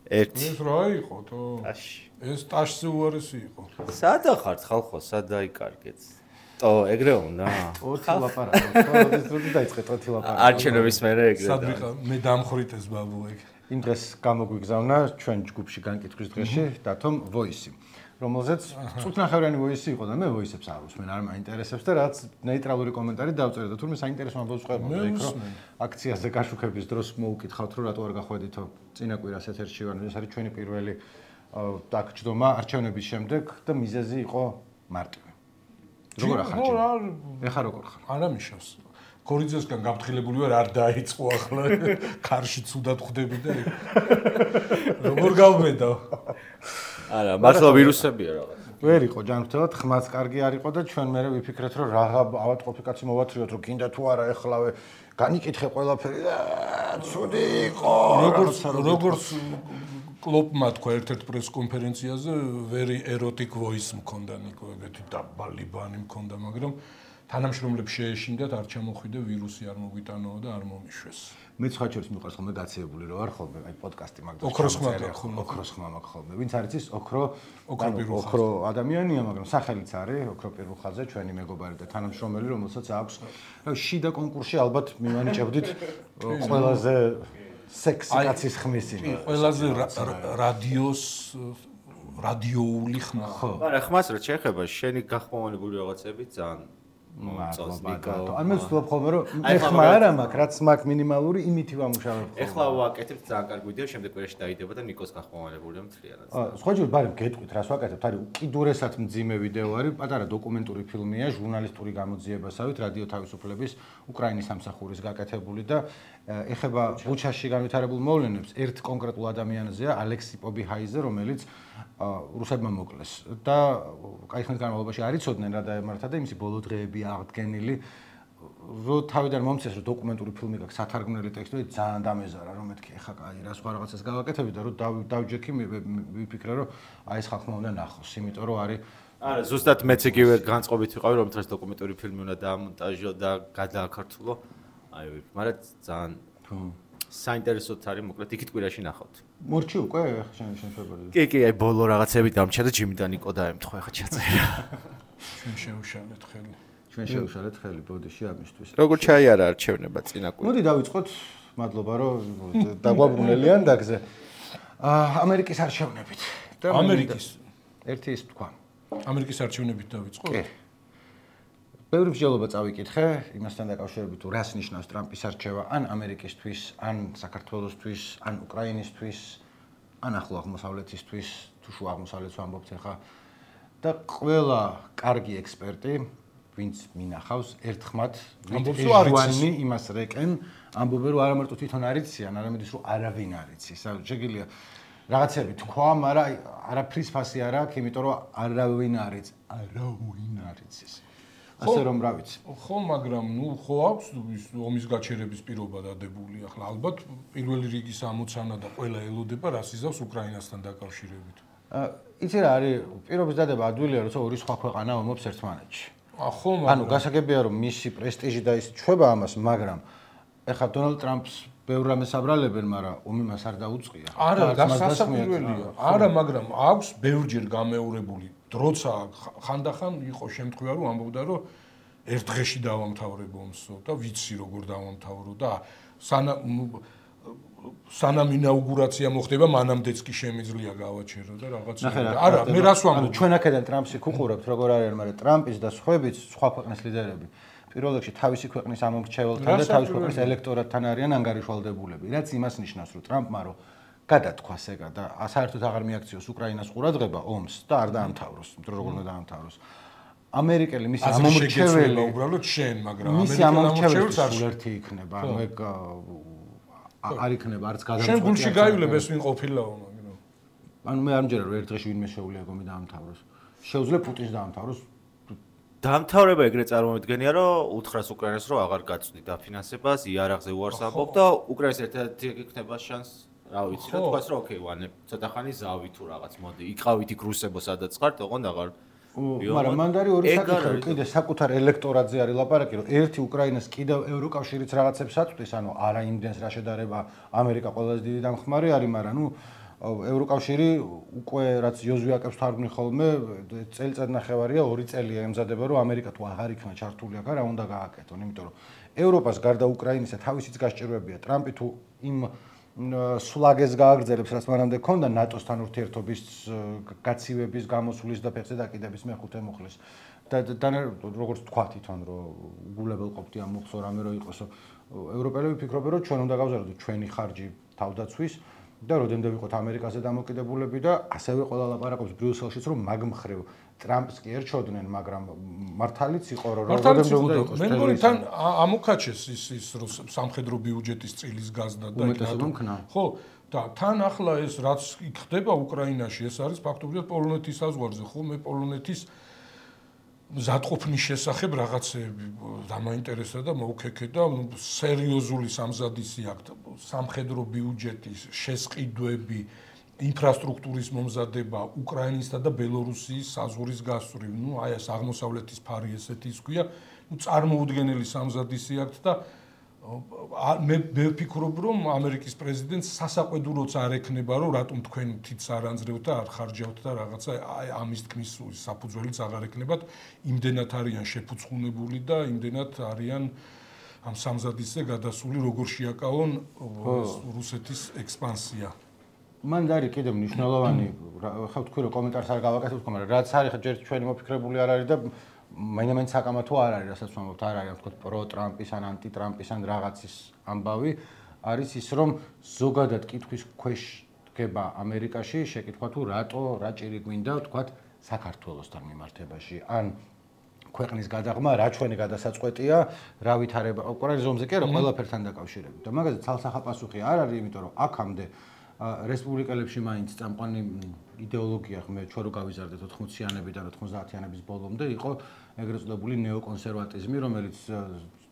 ერთი. ეს რა იყო თო? ეს ტაშზე უარესი იყო. სადა ხართ ხალხო, სად დაიკარგეთ? ეგრე უნდა? 20 ლაპარაკო, ეს როდი დაიწყეთ 20 ლაპარაკო. არჩევნების მერე ეგრე. სადრიხა მე დამხრით ეს ბაბუ ეგ. იმ დღეს გამოგვიგზავნა ჩვენ ჯგუფში განკითხვის დღეში დათომ ვოისი, რომელზეც წუთნახევრიანი ვოისი იყო და მე ვოისებს არ უსმენ, არ მაინტერესებს და რაც ნეიტრალური კომენტარი დავწერე და თურმე საინტერესო ამბავს ყვებოდა იქ რომ აქციაზე გაშუქების დროს მოუკითხავთ რომ რატო არ გახვედითო წინა კვირას ეთერში ვარ, ეს არის ჩვენი პირველი დაგჯდომა არჩევნების შემდეგ და მიზეზი იყო მარტივი. როგორ ახარჯე? ეხა როგორ ხარ? არა მიშავს. კორიძესგან გაფრთხილებული ვარ, არ დაიწყო ახლა. კარში ცუდად ხვდები და როგორ გავმედო? არა, მართლა ვირუსებია რაღაც. ვერ იყო ჯანმრთელად, ხმაც კარგი არ იყო და ჩვენ მერე ვიფიქრეთ რომ რაღა ავატყოფი კაცი მოვათრიოთ რომ კიდე თუ არა ეხლავე განიკითხე ყველაფერი და ცუდი იყო. როგორც კლოპმა თქვა ერთ-ერთ პრეს-კონფერენციაზე, very erotic voice მქონდა ნიკო, ეგეთი დაბალი ბანი მქონდა, მაგრამ თანამშრომლებს შეეშინდათ, არ ჩამოხვიდა ვირუსი, არ მოგვიტანოა და არ მომიშვეს. მე სხვა შორის მიყვარს ხოლმე გაციებული რო არ ხოლმე, აი პოდკასტი მაგდროს. ოქროს ხმა გაქვს ხოლმე. ოქროს ხმა მაქვს ხოლმე. ვინც არის ის ოქრო ადამიანია, მაგრამ სახელიც არის ოქრო პირუხაზე, ჩვენი მეგობარი და თანამშრომელი, რომელსაც აქვს შიდა კონკურსში ალბათ მივანიჭებდით ყველაზე სექსი კაცის ხმისი. ყველაზე რადიოული ხმა. ხო. არა, ხმას რა შეეხება, შენი გახმოვანებული რაღაცები ძალიან მომწონს ნიკო. ან მე ვცდილობ ხოლმე რომ მე ხმა არა მაქვს, რაც მაქვს მინიმალური, იმითი ვამუშავებ ხოლმე. ეხლა ვაკეთებ ძალიან კარგი ვიდეო, შემდეგ კვირაში დაიდება და ნიკოს გახმოვანებულია მთლიანად. სხვა ჯერ ბარემ გეტყვით რას ვაკეთებთ, არის უკიდურესად მძიმე ვიდეო არის, პატარა დოკუმენტური ფილმია, ჟურნალისტური გამოძიებასავით რადიო თავისუფლების უკრაინის სამსახურის გაკეთებული და ეხება ბუჩაში განვითარებულ მოვლენებს ერთ კონკრეტულ ადამიანზეა, ალექსი პობიჰაიზე, რომელიც რუსებმა მოკლეს და კაი ხნის განმავლობაში არ იცოდნენ რა დაემართა და იმისი ბოლო დღეები აღდგენილი რო თავიდან მომწეს რომ დოკუმენტური ფილმი გაქვს სათარგმნელი ტექსტი ძალიან დამეზარა რომ მეთქი ეხა კაი რა სხვა რაღაცას გავაკეთები და რომ დავჯექი ვიფიქრე რომ აი ეს ხალხმა უნდა ნახოს იმიტომ რომ არის არა ზუსტად მეც იგივე განწყობით ვიყავი რომ დღეს დოკუმენტური ფილმი უნდა დაამონტაჟო და გადააქართულო აი მაგრამ ძალიან საინტერესოდ არის მოკლედ იქით კვირაში ნახავთ. მორჩი უკვე შენ ფებრუარი. კი, აი ბოლო რაღაცები დამჩა და ჯიმიდან ნიკო დაემთხვა ხა ჩაწერა. ჩვენ შევშალეთ ხელი. ჩვენ შევშალეთ ხელი ბოდიში ამისთვის. როგორ ჩაიარა არჩევნება წინა კვირა? მოდი დავიწყოთ, მადლობა რომ დაგვაბრუნელიან დაგზე. ამერიკის არჩევნებით. ამერიკის ერთი ის თქვა. ამერიკის არჩევნებით დავიწყოთ? კი. ბევრი მსჯელობა წავიკითხე, იმასთან დაკავშირებით თუ რას ნიშნავს ტრამპის არჩევა ან ამერიკისთვის, ან საქართველოსთვის, ან უკრაინისთვის, ან ახლო აღმოსავლეთისთვის, თუ შუა აღმოსავლეთს ვამბობთ ახლა. და ყველა კარგი ექსპერტი, ვინც მინახავს, ერთხმად ვიჯვანი იმას რეკენ, ამბობენ რომ არა მარტო თვითონ არ იციან, არამედ ის რომ არავინ არ იცის. შეგიძლია რაღაცები თქვა, მაგრამ არაფრის ფასი არ აქვს, იმიტომ რომ არავინ არ იცის, არავინ არ იცის. ასე რომ რა ვიცი. ხო, მაგრამ ხო აქვს ომის გაჩერების პირობა დადებული. ახლა ალბათ პირველი რიგის ამოცანა და ყველა ელოდება რას იზავს უკრაინასთან დაკავშირებით. იცი რა არის პირობის დადება ადვილია, როცა ორი სხვა ქვეყანა ომობს ერთმანეთში. ხო, ანუ გასაგებია რომ მისი პრესტიჟი და ის ჩვება ამას, მაგრამ ეხლა დონალდ ტრამპს ბევრ რამეს აბრალებენ, მაგრამ ომი მას არ დაუწყია. არა, გასასაკვირველია. არა, მაგრამ აქვს ბევრჯერ გამეორებული დროცა ხანდახან იყო შემთხვევა რომ ამბობდა რომ ერთ დღეში დავამთავრებ ომსო და ვიცი როგორ დავამთავრო და სანამ ინაუგურაცია მოხდება მანამდეც კი შემიძლია გავაჩერო და რაღაცა არა მე რას ვამბობ ჩვენ აქედან ტრამპს ვუყურებთ როგორ არის მაგრამ ტრამპის და სხვაებიც სხვა ქვეყნის ლიდერები პირველ რიგში თავისი ქვეყნის ამომრჩეველთან და თავისი ქვეყნის ელექტორატთან არიან ანგარიშვალდებულები რაც იმას ნიშნავს რომ ტრამპმა რომ გადათქვა ეგა და საერთოდ აღარ მიაქციოს უკრაინას ყურადღება ომს და არ დაამთავროს, იმიტომ რომ როგორ უნდა დაამთავროს. ამერიკელი მისი ამომრჩეველი უბრალოდ შენ, მაგრამ მისი ამომრჩეველი ერთი იქნება, ანუ ეგ არ იქნება არც გადამწყვეტი. შენ გულში გაივლებ ეს ვინ ყოფილაო, მაგრამ ანუ მე არ მჯერა რომ ერთ დღეში ვინმე შეუძლია გომი დაამთავროს. შეუძლია პუტინს დაამთავროს. დაამთავრება ეგრე წარმოვიდგენია რომ უთხრას უკრაინას რომ აღარ გაწვდი დაფინანსებას, იარაღზე უარს ამბობ და უკრაინის ერთ-ერთი იქნება შანსი რა ვიცი რა თქვას რომ ოკეი ვანე ცოტა ხანი ზავი თუ რაღაც მოდი იყავით იქ რუსებო სადაც ხართ ოღონდ აღარ მაგრამ მანდ არის ორი საკითხი, კიდე საკუთარ ელექტორატზე არის ლაპარაკი, რომ ერთი უკრაინას კიდევ ევროკავშირიც რაღაცებს აწვდის, ანუ არა იმდენს რა შედარება ამერიკა ყველაზე დიდი დამხმარე არის, მაგრამ ნუ ევროკავშირი უკვე რაც იოზვი აკებს თარგმნი ხოლმე წელიწად ნახევარია 2 წელია ემზადება რომ ამერიკა თუ აღარ იქნა ჩართული აქ რა უნდა გააკეთონ, იმიტომ რომ ევროპას გარდა უკრაინისა თავისიც გასჭიროებია ტრამპი თუ იმ სულაგეს გააგრძელებს რაც მანამდე ჰქონდა ნატოსთან ურთიერთობის გაცივების გამოსვლის და ფეხზე დაკიდების მეხუთე მუხლის და როგორც თქვა თვითონ რომ უგულებელყოფდი ამ მუხლს რამე რო იყოსო ევროპელები ფიქრობენ რომ ჩვენ უნდა გავზარდოთ ჩვენი ხარჯი თავდაცვის და როდემდე ვიყოთ ამერიკაზე დამოკიდებულები და ასევე ყველა ლაპარაკობს ბრიუსელშიც რომ მაგ მხრივ ტრამპს კი ერჩოდნენ, მაგრამ მართალიც იყო რომ როდემდე უნდა იყოს. მე მგონი თან ამოქაჩეს ის რომ სამხედრო ბიუჯეტის წილის გაზდა და ხო და თან ახლა ეს რაც იქ ხდება უკრაინაში ეს არის ფაქტობრივად პოლონეთის საზღვარზე, ხო მე პოლონეთის მზადყოფნის შესახებ რაღაცეები დამაინტერესდა და მოვქექე და სერიოზული სამზადისი აქვთ სამხედრო ბიუჯეტის შესყიდვები ინფრასტრუქტურის მომზადება უკრაინისა და ბელორუსიის საზღვრის გასწვრივ. ნუ აი ეს აღმოსავლეთის ფარი ესეთი ის ქვია, ნუ წარმოუდგენელი სამზადისი აქვთ და მე ვფიქრობ რომ ამერიკის პრეზიდენტს სასაყვედუროც არ ექნება რომ რატომ თქვენ თითს არ ანძრევთ და არ ხარჯავთ და რაღაცა აი ამის თქმის საფუძველიც აღარ ექნებათ. იმდენად არიან შეფუცხუნებული და იმდენად არიან ამ სამზადისზე გადასული როგორ შეაკავონ რუსეთის ექსპანსია. მან არის კიდევ მნიშვნელოვანი ხო თქვი რომ კომენტარს არ გავაკეთებ თქო მაგრამ რაც არის ჯერ ჩვენი მოფიქრებული არ არის და მაინც საკამათო არ არის რასაც ვამბობთ არ არის თქო პრო ტრამპის ან ანტი ტრამპის ან რაღაცის ამბავი არის ის რომ ზოგადად კითხვის ქვეშ დგება ამერიკაში შეკითხვა თუ რატო რა ჭირი გვინდა თქვა საქართველოსთან მიმართებაში ან ქვეყნის გადაღმა რა ჩვენი გადასაწყვეტია რა ვითარება უკრაინის ომზე კი არა ყველაფერთან დაკავშირებით და მაგაზე ცალსახა პასუხი არ არის იმიტომ რომ აქამდე რესპუბლიკელებში მაინც წამყვანი იდეოლოგია ხმე ჩვენ რო გავიზარდეთ 80-იანებიდან 90-იანების ბოლომდე იყო ეგრეთ წოდებული ნეოკონსერვატიზმი რომელიც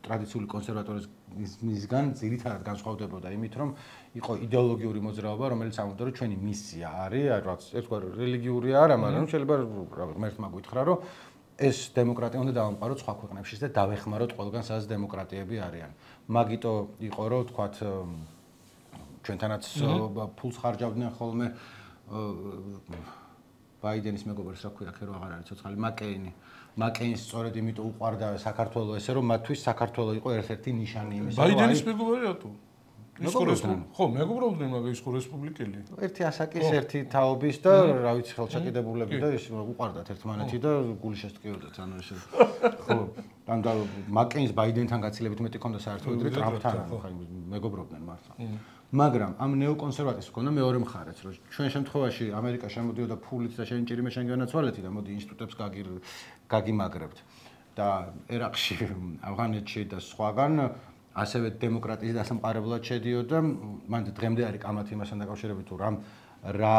ტრადიციული კონსერვატორიზმისგან ძირითადად განსხვავდებოდა იმით რომ იყო იდეოლოგიური მოძრაობა რომელიც ამბობდა რომ ჩვენი მისია არის რაც ერთგვარ რელიგიური არა მაგრამ შეიძლება ღმერთმა გითხრა რომ ეს დემოკრატია უნდა დავამყაროთ სხვა ქვეყნებშიც და დავეხმაროთ ყველგან სადაც დემოკრატიები არიან მაგიტო იყო რომ თქვათ ჩვენთანაც ფულს ხარჯავდნენ ხოლმე ბაიდენის მეგობარს რა ქვია ხერო აღარ არის ცოცხალი მაკეინს სწორედ იმიტომ უყვარდა საქართველოს ესე რომ მათთვის საქართველოს იყო ერთ-ერთი ნიშანი იმისა რომ ბაიდენის მეგობარი რატო ხო მეგობრობდნენ მაგრამ ის ხო რესპუბლიკელი ერთი ასაკის ერთი თაობის და რა ვიცი ხელშეკიდებულები და ის უყვარდათ ერთმანეთი და გული შესტკიოდათ ანუ ესე ხო ან და მაკეინს ბაიდენთან გაცილებით მეტი ქონდა საერთოდ ვიდრე ტრამპთან ხო მეგობრობდნენ მართლა მაგრამ ამ ნეოკონსერვატიზმს ქონდა მეორე მხარეც რომ ჩვენ შემთხვევაში ამერიკა შემოდიოდა ფულით და შენ ჭირიმე შენ განაცვალეთი და მოდი ინსტიტუტებს გაგიმაგრებთ და ერაყში ავღანეთში და სხვაგან ასევე დემოკრატიის დასამყარებლად შედიოდა მან დღემდე არის კამათი იმასთან დაკავშირებით თუ რა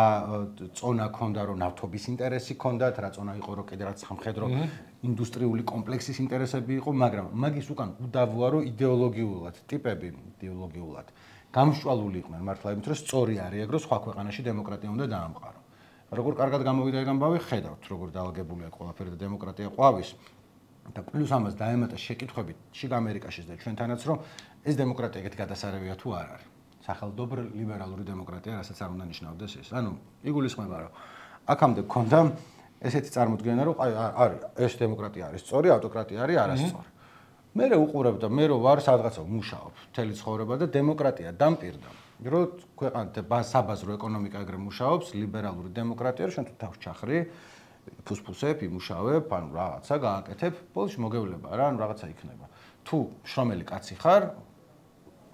წონა ქონდა რომ ნავთობის ინტერესი ქონდათ რა წონა იყო რომ კიდე რაც სამხედრო ინდუსტრიული კომპლექსის ინტერესები იყო მაგრამ მაგის უკან უდავოა რომ იდეოლოგიულად ტიპები იდეოლოგიულად გამშვალული იყვნენ მართლა იმით რომ სწორი არის ეგ რომ სხვა ქვეყანაში დემოკრატია უნდა დაამყარო. როგორ კარგად გამოვიდა ეგ ამბავი ხედავთ როგორ დაალგებულია ყველაფერი და დემოკრატია ყვავის და პლუს ამას დაემატა შეკითხვები შიგ ამერიკაშიც და ჩვენთანაც რომ ეს დემოკრატია ეგეთი გადასარევია თუ არ არის. სახელმწიფო ლიბერალური დემოკრატია რასაც არ უნდა ნიშნავდეს ეს. ანუ იგულისხმება რომ აქამდე გქონდა ესეთი წარმოდგენა რომ არის ეს დემოკრატია არის სწორი, ავტოკრატია არის არასწორი. მე უყურებ და მე ვარ სადღაცა მუშაობ მთელი ცხოვრება და დემოკრატია დამპირდა რომ ქვეყანთა საბაზრო ეკონომიკა ეგრე მუშაობს ლიბერალური დემოკრატია რომ შენ თუ თავს ჩახრი ფუსფუსებ იმუშავებ ანუ რაღაცა გააკეთებ ბოლოს მოგევლება რა ანუ რაღაცა იქნება თუ შრომელი კაცი ხარ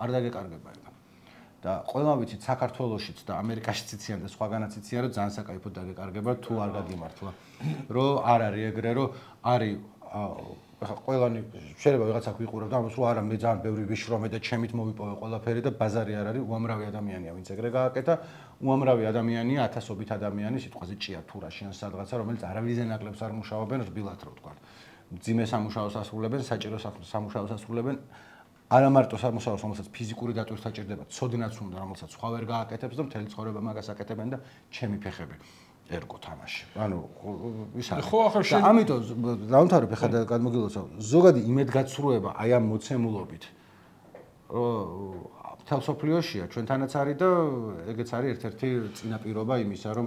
არ დაგეკარგება ეგ და ყველა ვიცით საქართველოსშიც და ამერიკაშიც იციან და სხვაგანაც იციან რომ ძალიან საკაიფოდ დაგეკარგება თუ არ გაგიმართლა რომ არ არის ეგრე რომ არის ყველანი შეიძლება ვიღაცა გვიყურებ და ამას რომ არა მე ძალიან ბევრი ვიშრომე და ჩემით მოვიპოვე ყველაფერი და ბაზარი არ არის უამრავი ადამიანია ვინც ეგრე გააკეთა უამრავი ადამიანია ათასობით ადამიანი სიტყვაზე ჭია თურაში ან სადღაცა რომელიც არავის ნაკლებს არ მუშაობენ რბილად რო ვთქვა მძიმე სამუშაოს ასრულებენ საჭირო სამუშაოს ასრულებენ არა მარტო სამუშაოს რომელსაც ფიზიკური დატვირთვა ჭირდება ცოდნაც უნდა რომელსაც სხვა ვერ გააკეთებს და მთელი ცხოვრება მაგას აკეთებენ და ჩემი ფეხები ერგო თამაში. ანუ ის არის. ხო, ახლა და ამიტომ დავამთავრებ ახლა და გადმოგილოცავ. ზოგადი იმედგაცრუება აი ამ მოცემულობით თელსოფლიოშია ჩვენთანაც არის და ეგეც არის ერთ-ერთი წინაპირობა იმისა, რომ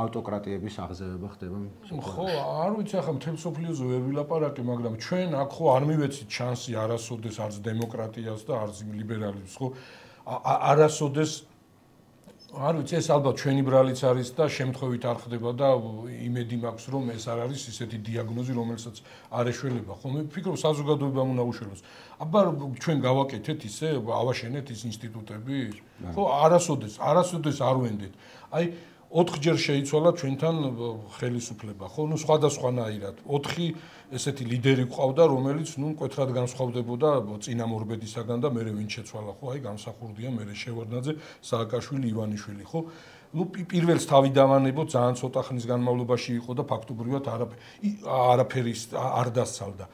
ავტოკრატიების აღზევება ხდება. ხო, არ ვიცი ახლა თელსოფლიოზე ვერ ვილაპარაკე, მაგრამ ჩვენ აქ ხო არ მივეცით შანსი არასოდეს არც დემოკრატიას და არც ლიბერალიზმს, ხო? არასოდეს არ ვიცი, ეს ალბათ ჩვენი ბრალიც არის და შემთხვევით არ ხდება და იმედი მაქვს, რომ ეს არ არის ისეთი დიაგნოზი, რომელსაც არ ეშველება. ხო, მე ვფიქრობ, საზოგადოებამ უნდა უშველოს. აბა ჩვენ გავაკეთეთ ისე, ავაშენეთ ის ინსტიტუტები? ხო, არასოდეს არ ვენდეთ. აი 4-ჯერ შეიცვალა ჩვენთან ხელისუფლება, ხო, ნუ სხვადასხვანაირად. 4 ესეთი ლიდერი ყავდა, რომელიც ნუ მკვეთრად განსხვავდებოდა წინამორბედისაგან და მე ვინ შეცვალა, ხო, აი გამსახურდია მე შევარდნაძე, სააკაშვილი, ივანიშვილი, ხო? ნუ პირველს თავი დავანებო, ძალიან ცოტა ხნის განმავლობაში იყო და ფაქტობრივად არაფერი არ დასცალდა.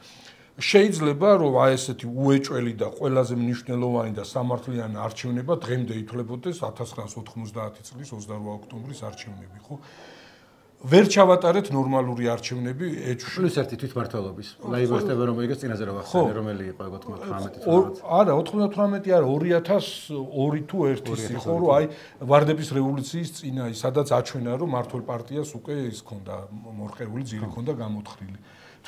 შეიძლება რომ აი ესეთი უეჭველი და ყველაზე მნიშვნელოვანი და სამართლიანი არჩევნება დღემდე ითვლებოდეს 1990 წლის 28 ოქტომბრის არჩევნები, ხო? ვერ ჩავატარეთ ნორმალური არჩევნები პლუს 1 თვითმმართველობის. ლაიბორისტები რომ იგეს წინაზე რა ვახსენე, რომელი იყო 98 არა, 98 არა, 2002 თუ 1 იყო, რომ აი ვარდების რევოლუციის წინა, სადაც აჩვენა, რომ მართლ პარტიას უკვე ის ქონდა მორყეული ძირი ქონდა გამოთხრილი.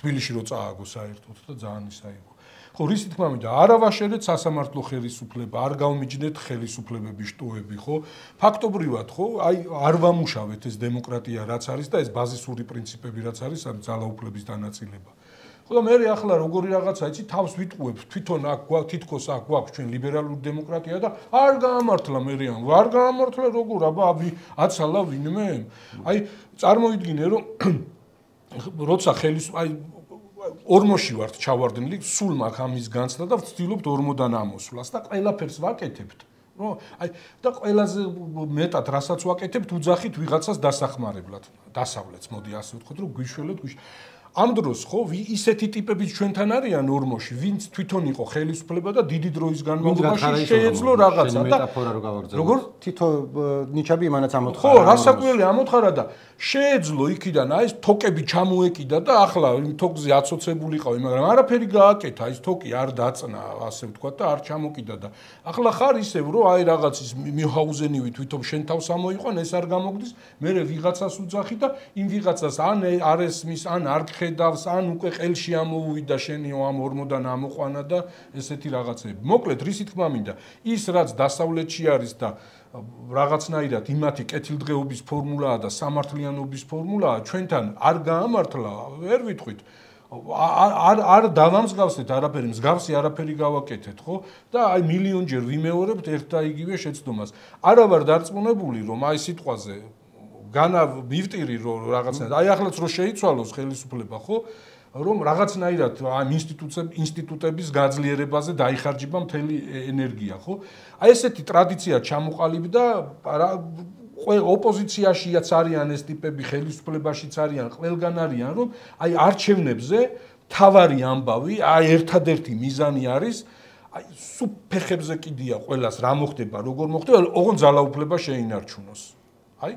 თბილისში რო წააგო საერთოდ და ძალიან ისა იყო. ხო, რის თქმა უნდა, არ ავაშენეთ სასამართლო ხელისუფლება, არ გავმიჯნეთ ხელისუფლებების შტოები, ხო? ფაქტობრივად, ხო, აი არ ვამუშავეთ ეს დემოკრატია რაც არის და ეს ბაზისური პრინციპები რაც არის, ამ ძალაუფლების დანაწილება. ხო და მე ახლა როგორი რაღაცა, იცი, თავს ვიტყუებ, თვითონ აქ თითქოს აქ გვაქვს ჩვენ ლიბერალური დემოკრატია და არ გაამართლა მერიან, არ გაამართლა როგორ, აბა აცალა ვინმე? აი წარმოიდგინე, რომ როცა აი ორმოში ვართ ჩავარდნილი, სულ მაქვს ამის განცდა და ვცდილობთ ორმოდან ამოსვლას და ყველაფერს ვაკეთებთ. ნუ აი და ყველაზე მეტად რასაც ვაკეთებთ, უძახით ვიღაცას დასახმარებლად, დასავლეთს, მოდი ასე ვთქვათ, რომ გვიშველოთ ამ დროს ხო ისეთი ტიპებიც ჩვენთან არიან ორმოში, ვინც თვითონ იყო ხელისუფლება და დიდი დროის განმავლობაში შეეძლო რაღაცა და მეტაფორა რო გავაგრძელო. როგორ? თითო ნიჩაბი იმანაც ამოთხარა. ხო, რასაკვირველია ამოთხარა და შეეძლო იქიდან აი ეს თოკები ჩამოეკიდა და ახლა იმ თოკზე აცოცებულიყავი, მაგრამ არაფერი გააკეთა, ის თოკი არ დაწნა, ასე ვთქვათ და არ ჩამოკიდა და ახლა ხარ ისევ რომ აი რაღაც ის მიჰაუზენივი თვითონ შენ თავს ამოიყვან, ეს არ გამოგდის, მე ვიღაცას უძახი და იმ ვიღაცას ან არ ესმის, ან არ ხედავს, ან უკვე ყელში ამოუვიდა შენიო ამ ორმოდან ამოყვანა და ესეთი რაღაცები. მოკლედ, რისი თქმა მინდა, ის რაც დასავლეთში არის და რაღაცნაირად იმათი კეთილდღეობის ფორმულაა და სამართლიანობის ფორმულაა, ჩვენთან არ გაამართლა, ვერ ვიტყვით. არ დავამსგავსეთ არაფერი, მსგავსი არაფერი გავაკეთეთ, ხო? და აი მილიონჯერ ვიმეორებთ ერთ და იგივე შეცდომას. არა ვარ დარწმუნებული, რომ აი სიტყვაზე განა მივტირი რომ რაღაცნაირად აი ახლაც რო შეიცვალოს ხელისუფლება, ხო? რომ რაღაცნაირად ამ ინსტიტუტების გაძლიერებაზე დაიხარჯება მთელი ენერგია, ხო? აი ესეთი ტრადიცია ჩამოყალიბდა, ოპოზიციაშიაც არიან ეს ტიპები, ხელისუფლებაშიც არიან, ყველგან არიან, რომ აი არჩევნებზე თავარი ამბავი, აი ერთადერთი მიზანი არის, აი სულ ფეხებზე კიდია ყველას რა მოხდება, როგორ მოხდება, ოღონდ ძალაუფლება შეინარჩუნოს. აი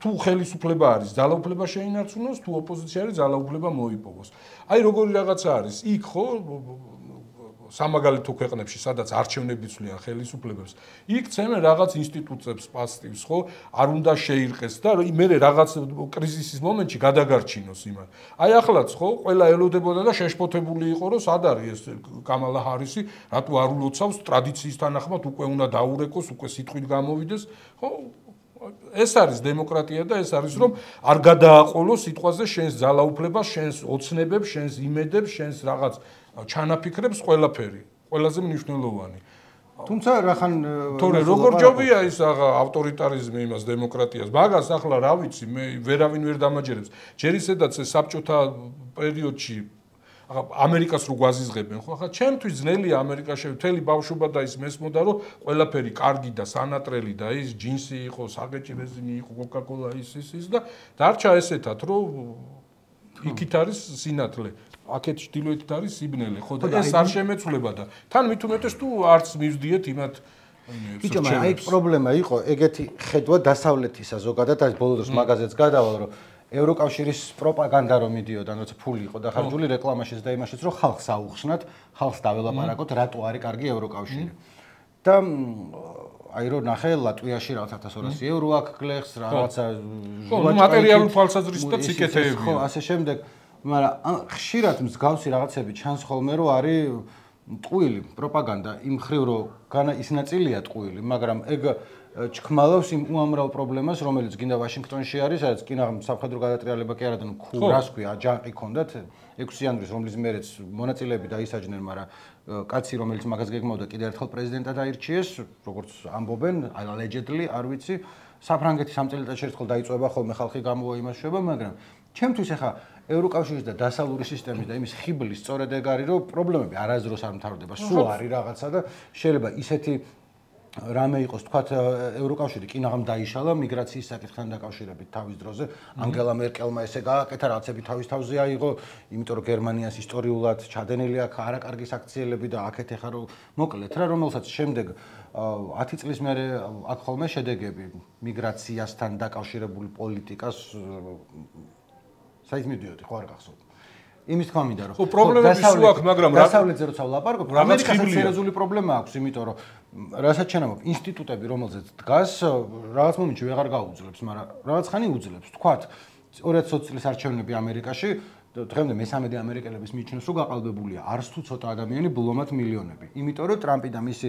თუ ხელისუფლება არის, ძალაუფლება შეინარჩუნოს, თუ ოპოზიცია არის, ძალაუფლება მოიპოვოს. აი როგორი რაღაცა არის, იქ ხო სამაგალითო ქვეყნებში, სადაც არჩევნები ცვლიან ხელისუფლებებს, იქ ცემენ რაღაც ინსტიტუტებს, პასტივს, ხო, არ უნდა შეირყეს და მე რაღაც კრიზისის მომენტში გადაგარჩინოს იმან. აი ახლაც ხო, ყველა ელოდებოდა და შეშფოთებული იყო, რომ სად არის ეს კამალა ჰარისი, რატო არ ულოცავს ტრადიციის თანახმად, უკვე უნდა დაურეკოს, უკვე სიტყვით გამოვიდეს, ხო? ეს არის დემოკრატია და ეს არის რომ არ გადააყოლოს სიტყვაზე შენს ძალაუფლებას, შენს ოცნებებს, შენს იმედებს, შენს რაღაც ჩანაფიქრებს ყველაფერი, ყველაზე მნიშვნელოვანი. თუმცა რახან თორე როგორ ჯობია ის ავტორიტარიზმი იმას დემოკრატიას. მაგას ახლა რა ვიცი, მე ვერავინ ვერ დამაჯერებს. ჯერ ისედაც ეს საბჭოთა პერიოდში ამერიკას რო გვაზიზღებენ, ხო? ახლა ჩემთვის ძნელია ამერიკაში მთელი ბავშვობა და ის მესმოდა, რომ ყველაფერი კარგი და სანატრელი და ის ჯინსი იყო, საგეჭი რეზინი იყო, კოკა-კოლა ის და დარჩა ესეთად, რომ იქით არის სინათლე. აქეთ ჩრდილოეთით არის სიბნელე, ხო და ეს არ შემეცვლება და თან მით უმეტეს თუ არც მივდიეთ იმათ ბიჭო, მაგრამ აი პრობლემა იყო ეგეთი ხედვა დასავლეთისა ზოგადად, აი ბოლო დროს მაგაზეც გადავალ, რომ ევროკავშირის პროპაგანდა რომ მიდიოდა, როცა ფული იყო დახარჯული რეკლამაშიც და იმაშიც, რომ ხალხს აუხსნათ, ხალხს დაველაპარაკოთ, რატო არის კარგი ევროკავშირი. და აი რომ ნახე ლატვიაში რაღაც 1200 евро აქ გლეხს, რაღაცა მატერიალურ თვალსაზრისითაც იკეთებია. ხო, ასე შემდეგ, მაგრამ ხშირად მსგავსი რაღაცები ჩანს ხოლმე, რომ არის ტყუილი პროპაგანდა იმ ხრივ, რომ ის ნაწილია ტყუილი, მაგრამ ეგ ჩქმალავს იმ უამრავ პრობლემას, რომელიც გინდა ვაშინგტონში არის, სადაც კი სამხედრო გადატრიალება კი არა და რას ქვია, აჯანყი ქონდათ 6 იანვრის, რომლის მერეც მონაწილეები დაისაჯნენ, მაგრამ კაცი, რომელიც მაგას გეგმავდა, კიდევ ერთხელ პრეზიდენტად აირჩიეს, როგორც ამბობენ, allegedly, არ ვიცი, საფრანგეთის ამ წელიწადში ერთხელ დაიწვება ხოლმე ხალხი გამოიმაშება, მაგრამ ჩემთვის ახლა ევროკავშირის და დასავლური სისტემის და იმის ხიბლის სწორედ ეგ არის, რომ პრობლემები არასდროს არ მთავრდება, სულ არის რაღაცა და შეიძლება ისეთი რამე იყოს, თქვათ, ევროკავშირი კინაღამ დაიშალა მიგრაციის საკითხთან დაკავშირებით თავის დროზე. ანგელა მერკელმა ესე გააკეთა, რაღაცები თავის თავზე აიღო, იმიტომ რომ გერმანიას ისტორიულად ჩადენილი აქვს არაკარგი საქციელები და აქეთ ეხა რომ მოკლედ რა, რომელსაც შემდეგ 10 წლის მერე აქ ხოლმე შედეგები მიგრაციასთან დაკავშირებული პოლიტიკას საით მიდიოდი, ხო არ გახსოვთ. იმის თქმა მინდა რომ პრობლემები სულ აქვს, მაგრამ დასავლეთზე როცა ვლაპარაკობ, ამერიკასაც სერიოზული პრობლემა აქვს, იმიტომ რომ რასაც შენამობ ინსტიტუტები, რომელზეც დგას, რაღაც მომენტში ვეღარ გაუძლებს, მაგრამ რაღაც ხანი უძლებს. თქვათ 2020 წლის არჩევნები ამერიკაში, დღემდე მე-13 ამერიკელების მიჩნევს, რომ გაყალბებულია არც თუ ცოტა ადამიანი, ბლომად მილიონები. იმიტომ რომ ტრამპი და მისი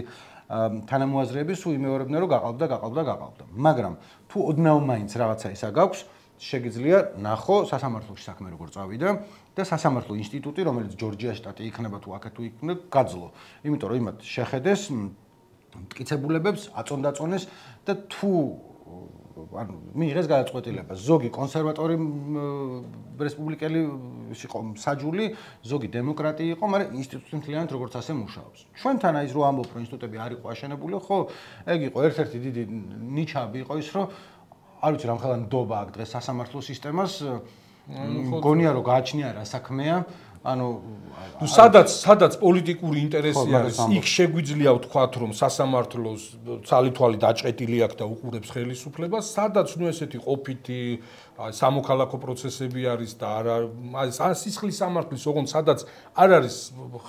თანამოაზრეები სულ იმეორებდნენ, რომ გაყალბდა. მაგრამ თუ ოდნავ მაინც რაღაცა ისა გაქვს, შეგიძლია ნახო სასამართლოში საქმე როგორ წავიდა და სასამართლო ინსტიტუტი, რომელიც ჯორჯიას შტატი იქნება თუ აქეთ თუ იქნება, გაძლო. იმიტომ რომ იმათ შეხედეს მტკიცებულებებს, აწონდაწონეს და თუ ანუ მიიღეს გადაწყვეტილება. ზოგი კონსერვატორი რესპუბლიკელი იყო საჯული, ზოგი დემოკრატი იყო, მაგრამ ინსტიტუტი მთლიანად როგორც ასე მუშაობს. ჩვენთან აი ეს რო ამბობ, რომ ინსტიტუტები არ იყო აშენებული, ხო, ეგ იყო ერთ-ერთი დიდი ნიჩაბი იყო ის, რომ არ ვიცი რამხელა ნდობა აქ დღეს სასამართლო სისტემას, მგონია რომ გააჩნია რა საქმეა, ანუ სადაც პოლიტიკური ინტერესი არის, იქ შეგვიძლია ვთქვათ, რომ სასამართლოს ცალი-თვალი დაჭყეტილი აქვს და უყურებს ხელისუფლებას, სადაც ნუ ესეთი ყოფითი სამოქალაქო პროცესები არის და არა სისხლის სამართლის ოღონდ სადაც არ არის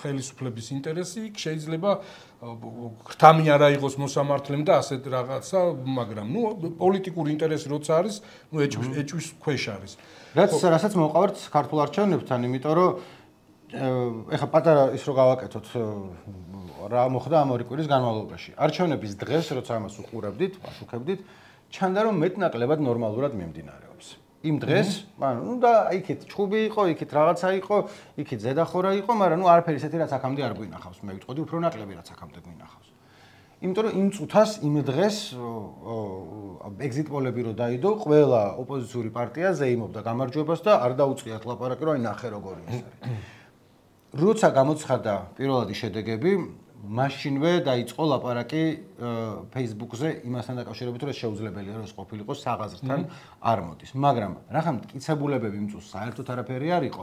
ხელისუფლების ინტერესი, იქ შეიძლება ხრთამი არ აიღოს მოსამართლემ და ასეთ რაღაცა, მაგრამ ნუ პოლიტიკური ინტერესი როცა არის, ნუ ეჭვის ქვეშ არის. რასაც მოვყავართ ქართულ არჩევნებთან, იმიტომ რომ ეხა პატარა ის რო გავაკეთოთ რა მოხდა ამ ორი კვირის განმავლობაში. არჩევნების დღეს, როცა ამას უყურებდით, ვაშუქებდით, ჩანდა რომ მეტნაკლებად ნორმალურად მიმდინარეობს. იმ დღეს, ანუ და იქით ჩხუბი იყო, იქით რაღაცა იყო, იქით ზედახორა იყო, მაგრამ ნუ არაფერი ისეთი რაც აქამდე არ გვინახავს. მე ვიტყოდი უფრო ნაკლები რაც აქამდე გვინახავს. იმიტომ რომ იმ წუთას, იმ დღეს ეგზიტ პოლები რო დაიდო, ყველა ოპოზიციური პარტია ზეიმობდა გამარჯვებას და არ დაუწყიათ ლაპარაკი, რომ აი ნახე როგორი ის არის. როცა გამოცხადდა პირველადი შედეგები, მაშინვე დაიწყო ლაპარაკი Facebook-ზე იმასთან დაკავშირებით, რომ შეუძლებელია რომ ეს ყოფილიყო საღაზრთან არ მოდის. მაგრამ რახან მტკიცებულებები იმ წუთს საერთოდ არაფერი არ იყო.